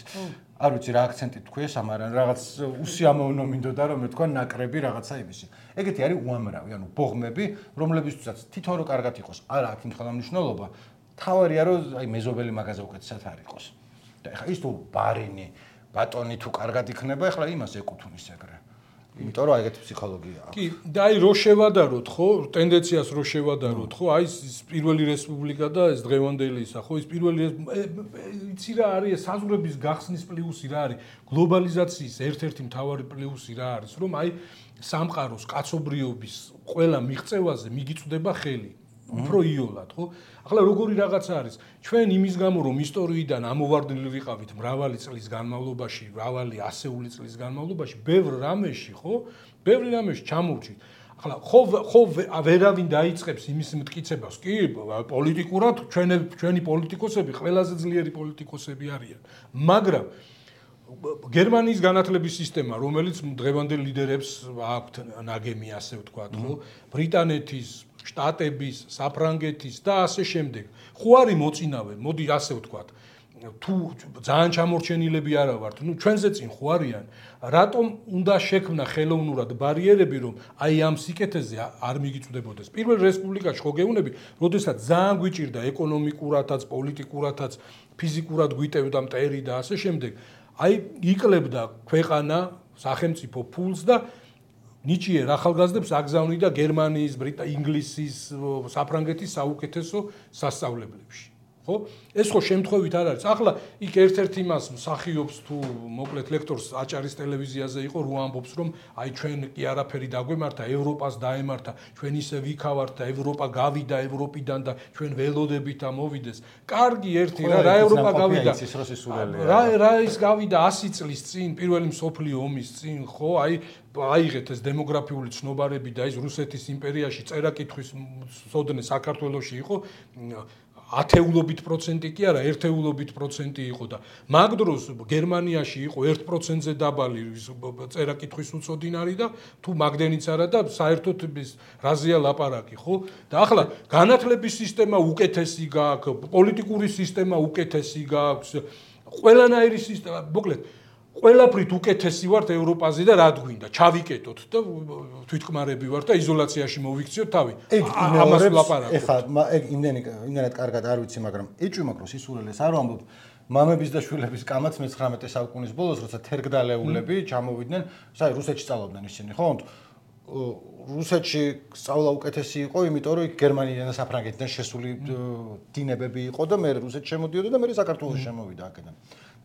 B: არ ვიცი რა აქცენტით თქვი ეს, მაგრამ რაღაც უსიამოვნო მინდოდა რომ მე თქვა ნაკრები რაღაცა იმისი. ეგეთი არის უამრავი, ანუ ბოღმები, რომლებისთვისაც თითო რო კარგად იყოს, არა აქ იმ ხელმძღვანელობა, თავარია რომ აი მეზობელი მაგაზე უკეთესად არ იყოს. და ეხლა ის თუ ბარინი, ბატონი თუ კარგად იქნება, ეხლა იმას ეკუთვნის ეგრე. იმიტომ რომ ეგეთი ფსიქოლოგია აქვს.
A: კი, და აი რო შევადაროთ, ხო, ტენდენციას რო შევადაროთ, ხო, აი ეს პირველი რესპუბლიკა და ეს დღევანდელი ისა, ხო, ის პირველი იცი რა არის, საზღვრების გახსნის პლუსი რა არის, გლობალიზაციის ერთ-ერთი მთავარი პლუსი რა არის, რომ აი სამყაროს კაცობრიობის ყველა მიღწევაზე მიგიწვდება ხელი. უფრო იოლად, ხო? ახლა როგორი რაღაცა არის? ჩვენ იმის გამო რომ ისტორიიდან ამოვარდნილი ვიყავით მრავალი წლის განმავლობაში, მრავალი ასეული წლის განმავლობაში, ბევრ რამეში, ხო? ბევრი რამეში ჩამოვჭით. ახლა ხო ვერავინ დაიწყებს იმის მტკიცებას. კი, პოლიტიკურად ჩვენი პოლიტიკოსები ყველაზე ძლიერი პოლიტიკოსები არიან. მაგრამ გერმანიის განათლების სისტემა, რომელიც დღევანდელ ლიდერებს აქვთ ნაგემი, ასე ვთქვათ, ხო? ბრიტანეთის, შტატების, საფრანგეთის და ასე შემდეგ. ხო არის მოწინავე, მოდი ასე ვთქვათ. თუ ძალიან ჩამორჩენილები არა ვართ, ნუ ჩვენზე წინ ხო არიან, რატომ უნდა შექმნა ხელოვნურად ბარიერები, რომ აი ამ სიკეთეზე არ მიგიწვდებოდეს. პირველ რესპუბლიკაში ხო გეუბნები, როდესაც ძალიან გვიჭირდა ეკონომიკურადაც, პოლიტიკურადაც, ფიზიკურად გვიტევდა მტერი და ასე შემდეგ. აი იკლებდა ქვეყანა, სახელმწიფო ფულს და ნიჭიერ ახალგაზრდებს აგზავნიდა გერმანიის, ინგლისის, საფრანგეთის საუკეთესო სასწავლებლებში. ხო? ეს ხო შემთხვევით არ არის. ახლა იქ ერთ-ერთი მას მსახიობს თუ მოკლედ ლექტორს აჭარის ტელევიზიაზე იყო, რო ამბობს, რომ აი ჩვენ კი არაფერი დაგვემართა, ევროპას დაემართა, ჩვენ ისე ვიქავართ და ევროპა გავიდა ევროპიდან და ჩვენ ველოდებით ამოვიდეს. კარგი ერთი რა ევროპა გავიდა. რა ის გავიდა 100 წლის წინ, პირველი მსოფლიო ომის წინ, ხო? აიღეთ ეს დემოგრაფიული ცნობარები და ის რუსეთის იმპერიაში წერა-კითხვის სოდნე საქართველოში იყო ათეულობით პროცენტი კი არა, ერთეულობით პროცენტი იყო და მაგ დროს გერმანიაში იყო 1%-ზე დაბალი წერა-კითხვის უწოდინარი და თუ მაგდენიც არა და საერთოდ რაზეა ლაპარაკი, ხო? და ახლა განათლების სისტემა უკეთესი გააქვს, პოლიტიკური სისტემა უკეთესი გააქვს, ყველანაირი სისტემა, მოკლედ ყველაფრით უკეთესი ვართ ევროპაზე და რა გვინდა, ჩავიკეტოთ და თვითკმარები ვართ და იზოლაციაში მოვიქციოთ თავი. ამას ლაპარაკობ.
B: ეხლა ეგ იმდენად კარგად არ ვიცი, მაგრამ ეჭვმაკროს ისურელეს არ ვამბობ. მამების და შვილების კამაც მე-19 საუკუნის ბოლოს, როცა თერგდალეულები ჩამოვიდნენ, რუსეთში სწავლობდნენ ისინი, ხო? რუსეთში სწავლა უკეთესი იყო, იმიტომ რომ იქ გერმანიიდან და საფრანგეთიდან შესული დინებები იყო და მე რუსეთში შემოდიოდა და მე საქართველოში შემოვიდა აქედან.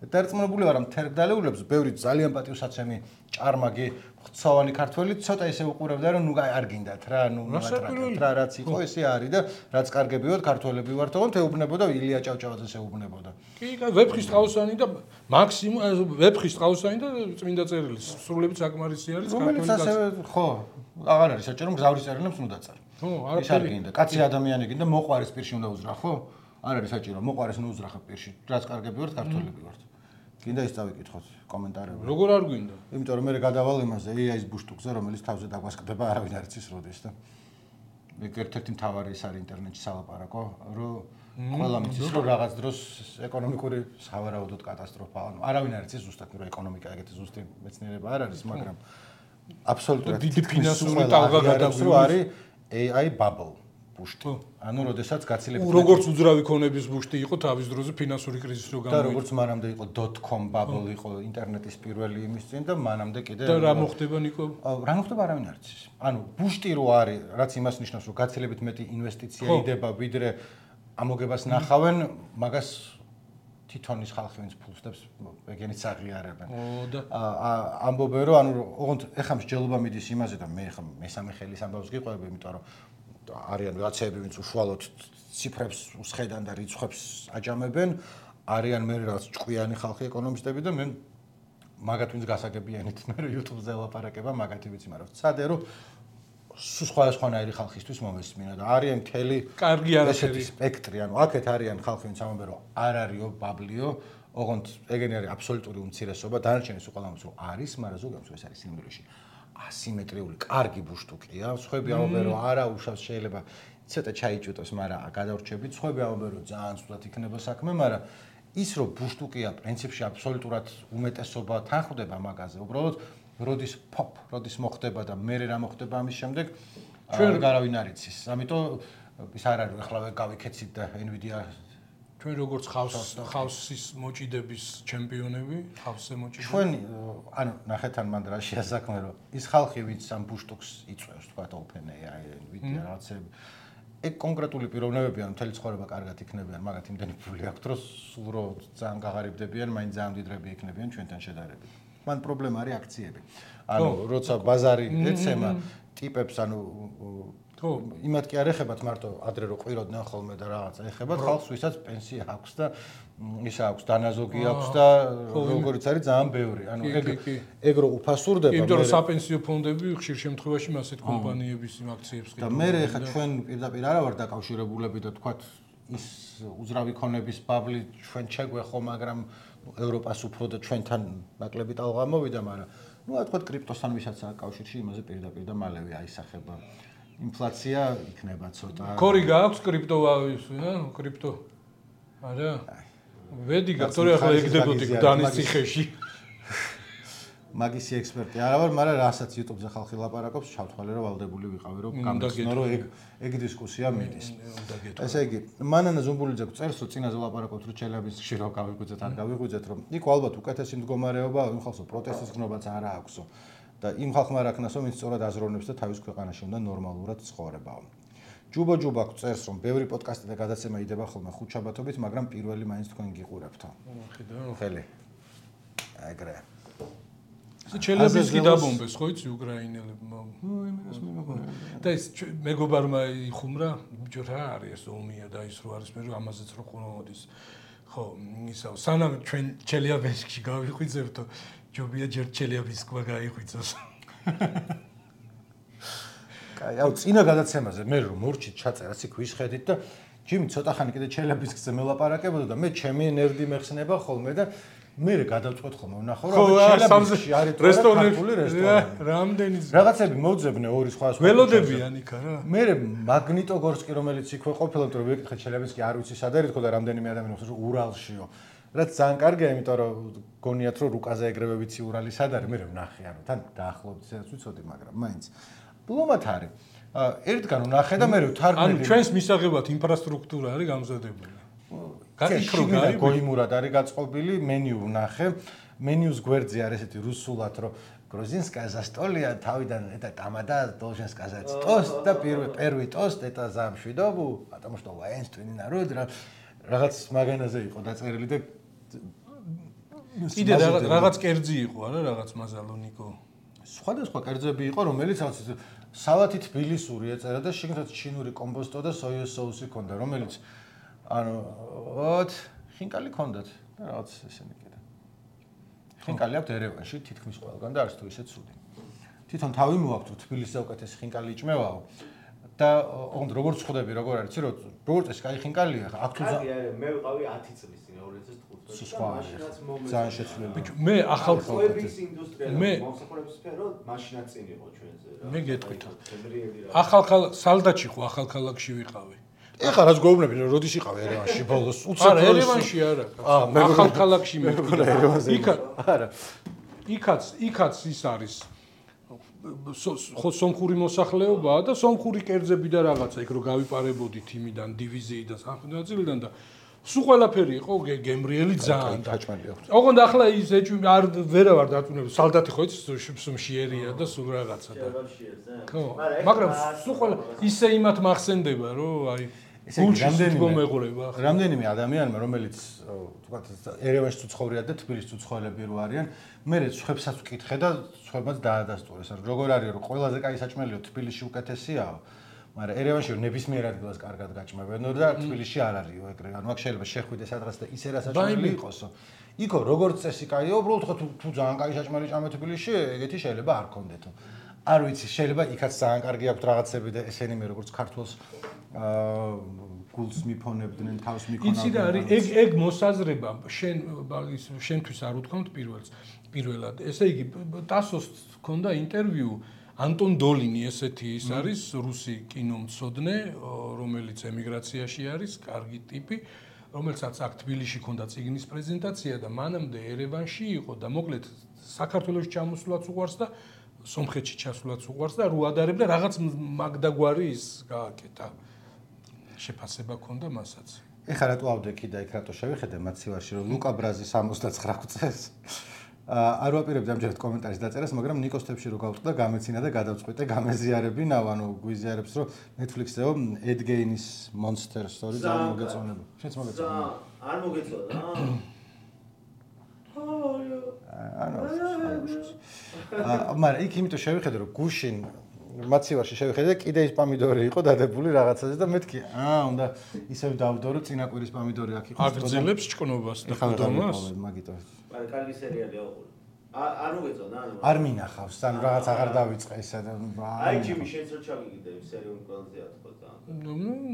B: დარწმუნებული ვარ, რომ თერგდალეულებს ბევრი ძალიან პატივსაცემი ჭარმაგი ღვთსავანი ქართველი ცოტა ისე უყურებდა, რომ ნუ არ გინდათ რა, ნუ რა რაც იყო ესე არის და რაც კარგები ვართ ქართველები ვართ, თქო ეუბნებოდა ილია ჭავჭავაძეს ეუბნებოდა.
A: კი, ვეფხისტყაოსანი და მაქსიმუმ ვეფხისტყაოსანი და წმინდა წერილი სრულებით საკმარისი არის
B: ქართველი კაცი. ხო, აღარ არის საჭირო მგზავრის წერილებს ნუ დაწერ.
A: ხო,
B: ის არ გინდა, კაცი ადამიანი გინდა, მოყვარის პირში უნდა უძრახ, ხო? არ არის საჭირო, მოყვარის ნუ უძრახებ პირში, რაც კარგები ვართ ქართველები ვართ. გინდა ის დავიკითხოთ კომენტარებში.
A: როგორ არ გვინდა?
B: იმიტომ რომ მე გადავალ იმაზე AI-ის ბუშტუკზე, რომელიც თავზე დაგვასკდება, არავინ არ იცის როდის და ეგ ერთ-ერთი მთავარი ის არის ინტერნეტში სალაპარაკო, რომ ყველა მიცის რომ რაღაც დროს ეკონომიკური სავარაუდოდ კატასტროფა, ანუ არავინ არ იცის ზუსტად რომ ეკონომიკა ეგეთი ზუსტი მეცნიერება არ არის, მაგრამ აბსოლუტურად
A: დიდი ფინანსური ტალღა გადაგვიოს,
B: არის AI bubble. ბუშტი. ანუ როდესაც გაცილებით
A: როგორც უძრავი ქონების ბუშტი იყო თავის დროზე ფინანსური კრიზისი რო
B: გამოვიდა. და როგორც მანამდე იყო .com bubble იყო ინტერნეტის პირველი იმის წინ და მანამდე კიდე
A: და რა მოხდება ნიკო?
B: რა მოხდება არავინ არ იცის. ანუ ბუშტი რო არის, რაც იმას ნიშნავს, რომ გაცილებით მეტი ინვესტიცია იდება, ვიდრე ამოგებას ნახავენ, მაგას თვითონ ის ხალხი ვინც ფულსდებს ეგენიც აღიარებენ.
A: და
B: ამბობენ რომ ანუ ოღონდ ეხლა მსჯელობა მიდის იმაზე და მე ხა მესამე ხელის ამბავს გიყვები, იმიტომ რომ არიან ვიღაცები ვინც უშუალოდ ციფრებს უსხედან და რიცხვებს აჯამებენ, არიან მე რაღაც ჭკვიანი ხალხი ეკონომისტები და მე მაგათ ვინც გასაგებიანით მე YouTube-ზე ელაპარაკება მაგათი ვიცი, მაგრამ ვცადე რომ სხვადასხვანაირი ხალხისთვის მომესმინა და არიან მთელი
A: კარგი არაფერი
B: სპექტრი, ანუ აქეთ არიან ხალხი ვინც ამბობენ რომ არ არისო ბაბლიო, ოღონდ ეგენი არის აბსოლუტური უმცირესობა, დანარჩენი სულ ყველამ რომ არის, მაგრამ ზოგადად ეს არის სიმდიდრეში ასიმეტრიული კარგი ბუშტუკია, სხვები ამბობენ რომ არა უშავს შეიძლება ცოტა ჩაიჭუტოს, მაგრამ გადავრჩებით, სხვები ამბობენ რომ ძალიან ცუდად იქნება საქმე, მაგრამ ის რომ ბუშტუკია პრინციპში აბსოლუტურად უმეტესობა თან ხვდება მაგაზე, უბრალოდ როდის როდის მოხდება და მე რა მოხდება ამის შემდეგ არავინ არ იცის. ამიტომ ის არ არის ეხლა გავიქეცით და Nvidia
A: ჩვენ როგორც ხავსის მოჭიდების ჩემპიონები, ხავსზე მოჭიდები.
B: ჩვენ ანუ ნახეთ ან მანდ რაშია საქმე რომ ის ხალხი ვინც ამ ბუშტუქს იწვევს, თქვა OpenAI, Nvidia რაღაცები ეგ კონკრეტული პიროვნებები ან მთელი ცხოვრება კარგად იქნებიან, მაგათ იმდენი ფული აქვთ, რომ სულ რო ძალიან გაღარიბდებიან, მაინც ძალიან მდიდრები იქნებიან ჩვენთან შედარებით. მან პრობლემა არის აქციები. ანუ როცა ბაზარი ეცემა ტიპებს, ანუ იმათ კი არ ეხებათ მარტო ადრე რო ყვიროდნენ ხოლმე და რაღაცა ეხებათ ხალხს, ვისაც პენსია აქვს და ისა აქვს დანაზოგი აქვს და როგორც არის ძალიან ბევრი. ანუ ეგ რო უფასურდება.
A: იმიტომ რომ საპენსიო ფონდები ხშირ შემთხვევაში ასეთ კომპანიების იმ აქციებს
B: ყიდულობენ. და მე ეხა ჩვენ პირდაპირ არა ვარ დაკავშირებულები და თქვათ ის უძრავი ქონების ბაბლი ჩვენ შეგვეხო, მაგრამ ევროპას უფრო და ჩვენთან ნაკლები ტალღა მოვიდა, მაგრამ ნუ თქვათ კრიპტოსთან ვისაც აკავშირში იმაზე პირდაპირ და მალევე აისახება. ინფლაცია იქნება ცოტა.
A: ქორი გააქვს კრიპტო? არა. ვედი გაქტორი ახლა ეგდებოდი გდანის ციხეში.
B: მაგისი ექსპერტი არა ვარ, მაგრამ რასაც YouTube-ზე ხალხი ლაპარაკობს, ჩავთვალე რომ ვალდებული ვიყავი რომ გამიგზნო რომ ეგ დისკუსია მიდის. ესე იგი, მანანა ზუმბულიძე წერს რომ წინაზე ლაპარაკობთ რომ ჩელიაბინსკში რო გავიღვიძეთ, არ გავიღვიძეთ, რომ იქ ალბათ უკეთესი მდგომარეობა, იმ ხალხს პროტესტის გნობაც არ აქვსო. და იმ ხალხმა არ აქნასო, ვინც სწორად აზროვნებს და თავის ქვეყანაში უნდა ნორმალურად ცხოვრებაო. ჯუბა წერს რომ ბევრი პოდკასტი და გადაცემა იდება ხოლმე ხუთშაბათობით, მაგრამ პირველი მაინც თქვენ გიყურებთო. ხელი. ეგრე.
A: ჩელიაბინსკი დაბომბეს, ხო იცი უკრაინელებმა. და ეს მეგობარმა იხუმრა, ბიჭო რა არის ეს ომია და ის რო არის მე რომ ამაზეც რო ხომოდის. ხო, ისა სანამ ჩვენ ჩელიაბინსკში გავიხვიძებთო, ჯობია ჯერ ჩელიაბინსკმა გაიხვიძოს.
B: კაი, აუ წინა გადაცემაზე მე რომ მორჩით ჩაწერას იქ ვისხედით და ჯიმი ცოტა ხანი კიდე ჩელიაბინსკზე მელაპარაკებოდა და მე ჩემი ნერდი მეხსნება ხოლმე და მე გადავწყვეტ ხოლმე ვნახო რომ ჩელიაბინსკში არის რესტორანი
A: რამდენი
B: რაღაცები მოძებნე ორი სხვა
A: ველოდებიან იქ არა
B: მე მაგნიტოგორსკი რომელიც იქვე ყოფილა იმიტომ რომ ვეკითხე ჩელიაბინსკი არ ვიცი სად არის თქო და რამდენიმე ადამიანი ხსოვს რომ ურალშიო რაც ძალიან კარგია იმიტომ რომ გონიათ რომ რუკაზე ეგრევე ვიცი ურალი სად არის მე ვნახე ანუ თან დაახლოებით ისედაც ვიცოდი მაგრამ მაინც ბლომად არის ერთგან ვნახე და მე ვთარგმნი
A: ანუ ჩვენს მისაღებად ინფრასტრუქტურა არის გამზადებული
B: გაიქროგა გოიმურად არის გაწყობილი მენიუ ვნახე მენიუს გვერდზე არის ესეთი რუსულად რომ Грузинская застолье თავიდან это тамада должен сказать тост და первый тост это за мშვიდობу потому что воинственный народ რაღაც მაგანაზე იყო დაწერილი და
A: კიდე რაღაც კერძი იყო არა რაღაც მაზალონიკო
B: სხვადასხვა კერძები იყო რომელიც სალათი თბილისური ეწერა და შიგნით ჩინური კომბოსტო და სოიოს соуსი ქონდა რომელიც ანუ ხინკალი ქონდათ და რაღაც ესენი კიდე ხინკალი აქვს ერევანში თითქმის ყველგან და არც თუ ისე ცუდი თვითონ თავი მოაქვს თბილისზე უკეთესი ხინკალი იჭმევაო და ოღონდ როგორ ხვდები როგორ არის იცი როგორ წეს კაი ხინკალია აქ თუ
C: მე ვიყავი 10 წლის წინ 2015
B: და მაშინაც ძალიან შეცვლილი
A: ბიჭო მე ახალ
C: ხოების ინდუსტრია მომსახურების სფერო მაშინაც წინ იყო ჩვენზე რა
A: მე გეტყვით ახალ სალდაჩი ხო ახალ ქალაქში ვიყავი
B: ეხლა რაც გვეუბნები რომ როდის იყავი ერევანში ბოლოს
A: უცებ არა ერევანში არა ახალ ქალაქში მე იქა
B: არა
A: იქაც ის არის ხო სომხური მოსახლეობაა და სომხური კერძები და რაღაცა იქ რო გავიპარებოდით იმიდან დივიზიიდან სამხედრო-ნაწილიდან და სულ ყველაფერი იყო გემრიელი ძალიან
B: დაჭმელი აქვს
A: ოღონდ ახლა ის ეჭვი არ ვერავარ დაწუნებული სალდათი ხო იცი სუმშიერია და სულ რაღაცა და ხო მაგრამ სულ ყველა ისე იმათ მახსენდება რომ აი
B: ესე იგი
A: მეღურება
B: რამდენიმე ადამიანმა რომელიც თქვათ ერევანში ცხოვრიან და თბილისში ცხოვრები რო არიან მე ხვებსაც ვკითხე და ხვებაც დაადასტურეს როგორ არის რომ ყველაზე კაი საჭმელიო თბილისში უკეთესიაო მაგრამ ერევანში ნებისმიერ ადგილას კარგად გაჭმევენო და თბილისში არ არისო ეგრე ანუ აქ შეიძლება შეხვიდე სადღაც და ისე რა საჭმელი იყოსო იქო როგორც წესი კაიო უბრალოდ ხო თუ ძალიან კაი საჭმელი ჭამე თბილისში ეგეთი შეიძლება არ კონდეთო არ ვიცი შეიძლება იქაც ძალიან კარგი აქვს რაღაცები და ესენი მე როგორც ქართულს გულს მიფონებდნენ თავს მიქონავდნენ
A: იცი რა არის ეგ მოსაზრება შენთვის არ უთქვამთ პირველად ესე იგი ტასოს ჰქონდა ინტერვიუ ანტონ დოლინი ესეთი ის არის რუსი კინომცოდნე რომელიც ემიგრაციაში არის კარგი ტიპი რომელსაც აქ თბილისში ჰქონდა წიგნის პრეზენტაცია და მანამდე ერევანში იყო და მოკლედ საქართველოში ჩამოსვლაც უყვარს და სომხეთში ჩასვლაც უყვარს და რო ადარებდა რაღაც მაგდაგვარი ის გააკეთა შეფასება ქონდა მასაც
B: ეხლა რატო ავდექი და იქ რატო შევიხედე მაცივარში რომ ლუკა ბრაზი 69 წელს არ ვაპირებდი ამჯერად კომენტარის დაწერას მაგრამ ნიკოს თებში რო გავწყდა გამეცინა და გადავწყვიტე გამეზიარებინავ ანუ გვიზიარებს რომ Netflix-ეო Ed Gein-ის Monster Story ძალიან მოგეწონება შენც მოგეწონება
C: არ მოგეწონა
B: მაგრამ იქ იმიტომ შევიხედე რომ გუშინ მაცივარში შევიხედე და კიდე ის პომიდორი იყო დადებული რაღაცაზე და მეთქი უნდა ისევ დავდო რომ წინაკვირის პომიდორი აქ იყო
A: აგრძელებს ჭკნობას და ხდომას
B: მაგიტო
C: მაგრამ კარგი სერიალია არ მოგეწონა
B: არ მინახავს ანუ რაღაც აღარ დავიწყე ისა და
C: აი ჯიმი შენც რო ჩაგიგდები სერიალი ყველაზე ათქოდა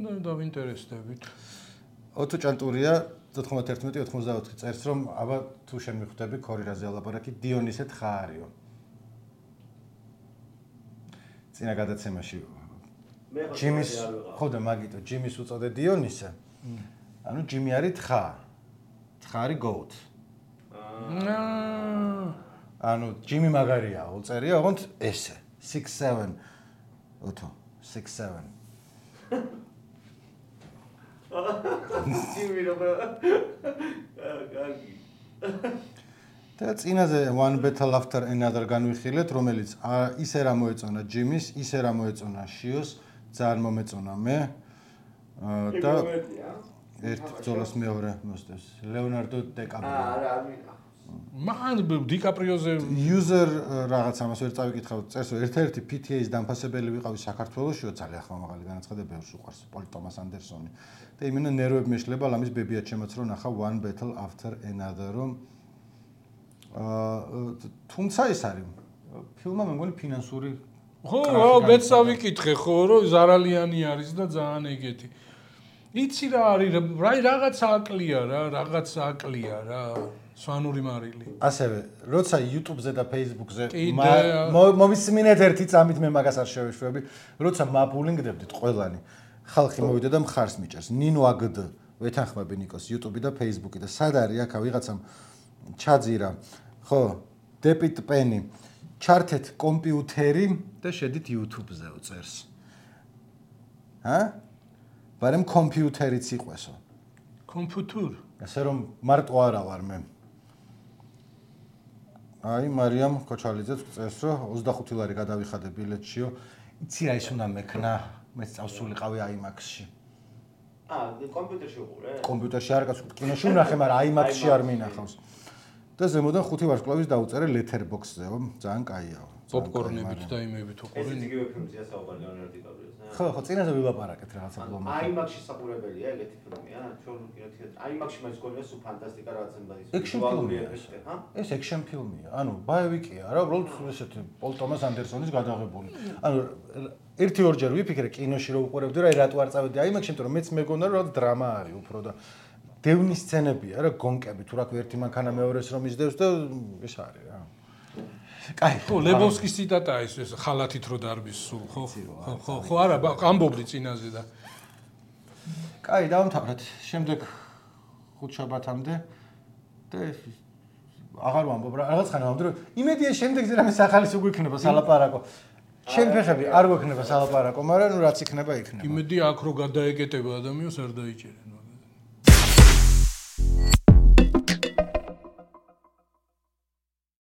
A: ნუ დავინტერესდებით
B: ოტო ჭანტურია 91-94 წერს რომ აბა თუ შენ მიხვდები ქორირაზე ალაპარაკი დიონისე თხა არისო წინა გადაცემაში ჯიმის ხო და მაგიტო ჯიმის უწოდე დიონისე ანუ ჯიმი არის თხა არის goat ანუ ჯიმი მაგარია უწერია ოღონდ ესე 6-7 ოტო 6-7
C: ჯიმი რა კარგი
B: და წინაზე One Battle After Another განვიხილეთ, რომელიც ისე რა მოეწონა ჯიმის, ისე რა მოეწონა შიოს, ძალიან მომეწონა მე. და ერთ ბრძოლას მეორე მოსდევს. ლეონარდო დიკაპრიო.
C: არ მინახავს.
A: მან დიკაპრიოზე
B: user რაღაც ამას ვერ წავიკითხავ, წერს რომ ერთ-ერთი PTA-ის დამფასებელი ვიყავი საქართველოსშიო, ძალიან ხმამაღალი განაცხადა, ბევრს უყვარს პოლ ტომას ანდერსონი. და იმენა ნერვები მეშლება, ამის ბებიად შემოწრო ნახა One Battle After Another, რომ თუმცა ეს არის ფილმმა მე მგონი ფინანსური
A: ხო მეც ავიკითხე ხო რომ ზარალიანი არის და ძალიან ეგეთი იცი რა არის რაღაც აკლია რა სვანური მარილი
B: ასევე როცა YouTube-ზე და Facebook-ზე მომისმინეთ ერთი წამით მე მაგას არ შევეშვები როცა მაბულინგდებდით ყველანი ხალხი მოვიდა და მხარს მიჭერს ნინო აგდ ვეთანხმები ნიკოს YouTube და Facebook-ი და სად არის აქა ვიღაცამ ჩაძირა ხო დეპიტ პენი ჩართეთ კომპიუტერი და შედით YouTube-ზე უწერს ბარემ კომპიუტერიც იყვესო
A: კომპიუტერ
B: ასე რომ მარტო არა ვარ მე აი მარიამ ქოჩალიძეც წერს რომ 25 ლარი გადავიხადე ბილეთშიო იცი რა ის უნდა მექნა მეც წავსულიყავი IMAX-ში
C: კომპიუტერში უყურე
B: კომპიუტერში არ გასულ კინოში ვნახე მაგრამ IMAX-ში არ მინახავს და ზემოდან 5 ვარსკვლავის დაუწერე Letterboxd-ზეო ძალიან კაიაო
A: პოპკორნებით და იმებით უყურე
C: ეს იგივე ფილმზეა საუბარი ლეონარდო დიკაპრიოს
B: ხო წინაზე ვილაპარაკეთ რაღაცა ბლომი
C: IMAX-ში საყურებელია ეგეთი ფილმია ჩვენ IMAX-ში მას გონია სუ ფანტასტიკა რაღაცა
B: ექშენ ფილმია ეს ექშენ ფილმია ანუ ბაევიკია რა უბრალოდ ესეთი პოლ ტომას ანდერსონის გადაღებული ანუ ერთი ორჯერ ვიფიქრე კინოში რომ უყურებდი რა რატო არ წავედი IMAX-ში იმიტომ რომ მეც მეგონა რომ დრამა არის უფრო და დევნის სცენებია რა გონკები თუ რა ქვია ერთი მანქანა მეორეს რომ ისდევს და ეს არის რა კაი
A: ხო ლებოვსკის ციტატაა ეს ხალათით რო დარბის სულ ხო არა ამბობდი წინაზე და
B: კაი დავამთავრეთ შემდეგ ხუთშაბათამდე და აღარ ვამბობ რა რაღაც ხანა ვამბობ რომ იმედია შემდეგზე რამე სახალის უგვიქნება სალაპარაკო ჩემ ფეხები არ გვექნება სალაპარაკო მაგრამ ნუ რაც იქნება იქნება
A: იმედი აქ რო გადაეკეტება ადამიანს არ დაიჭერენ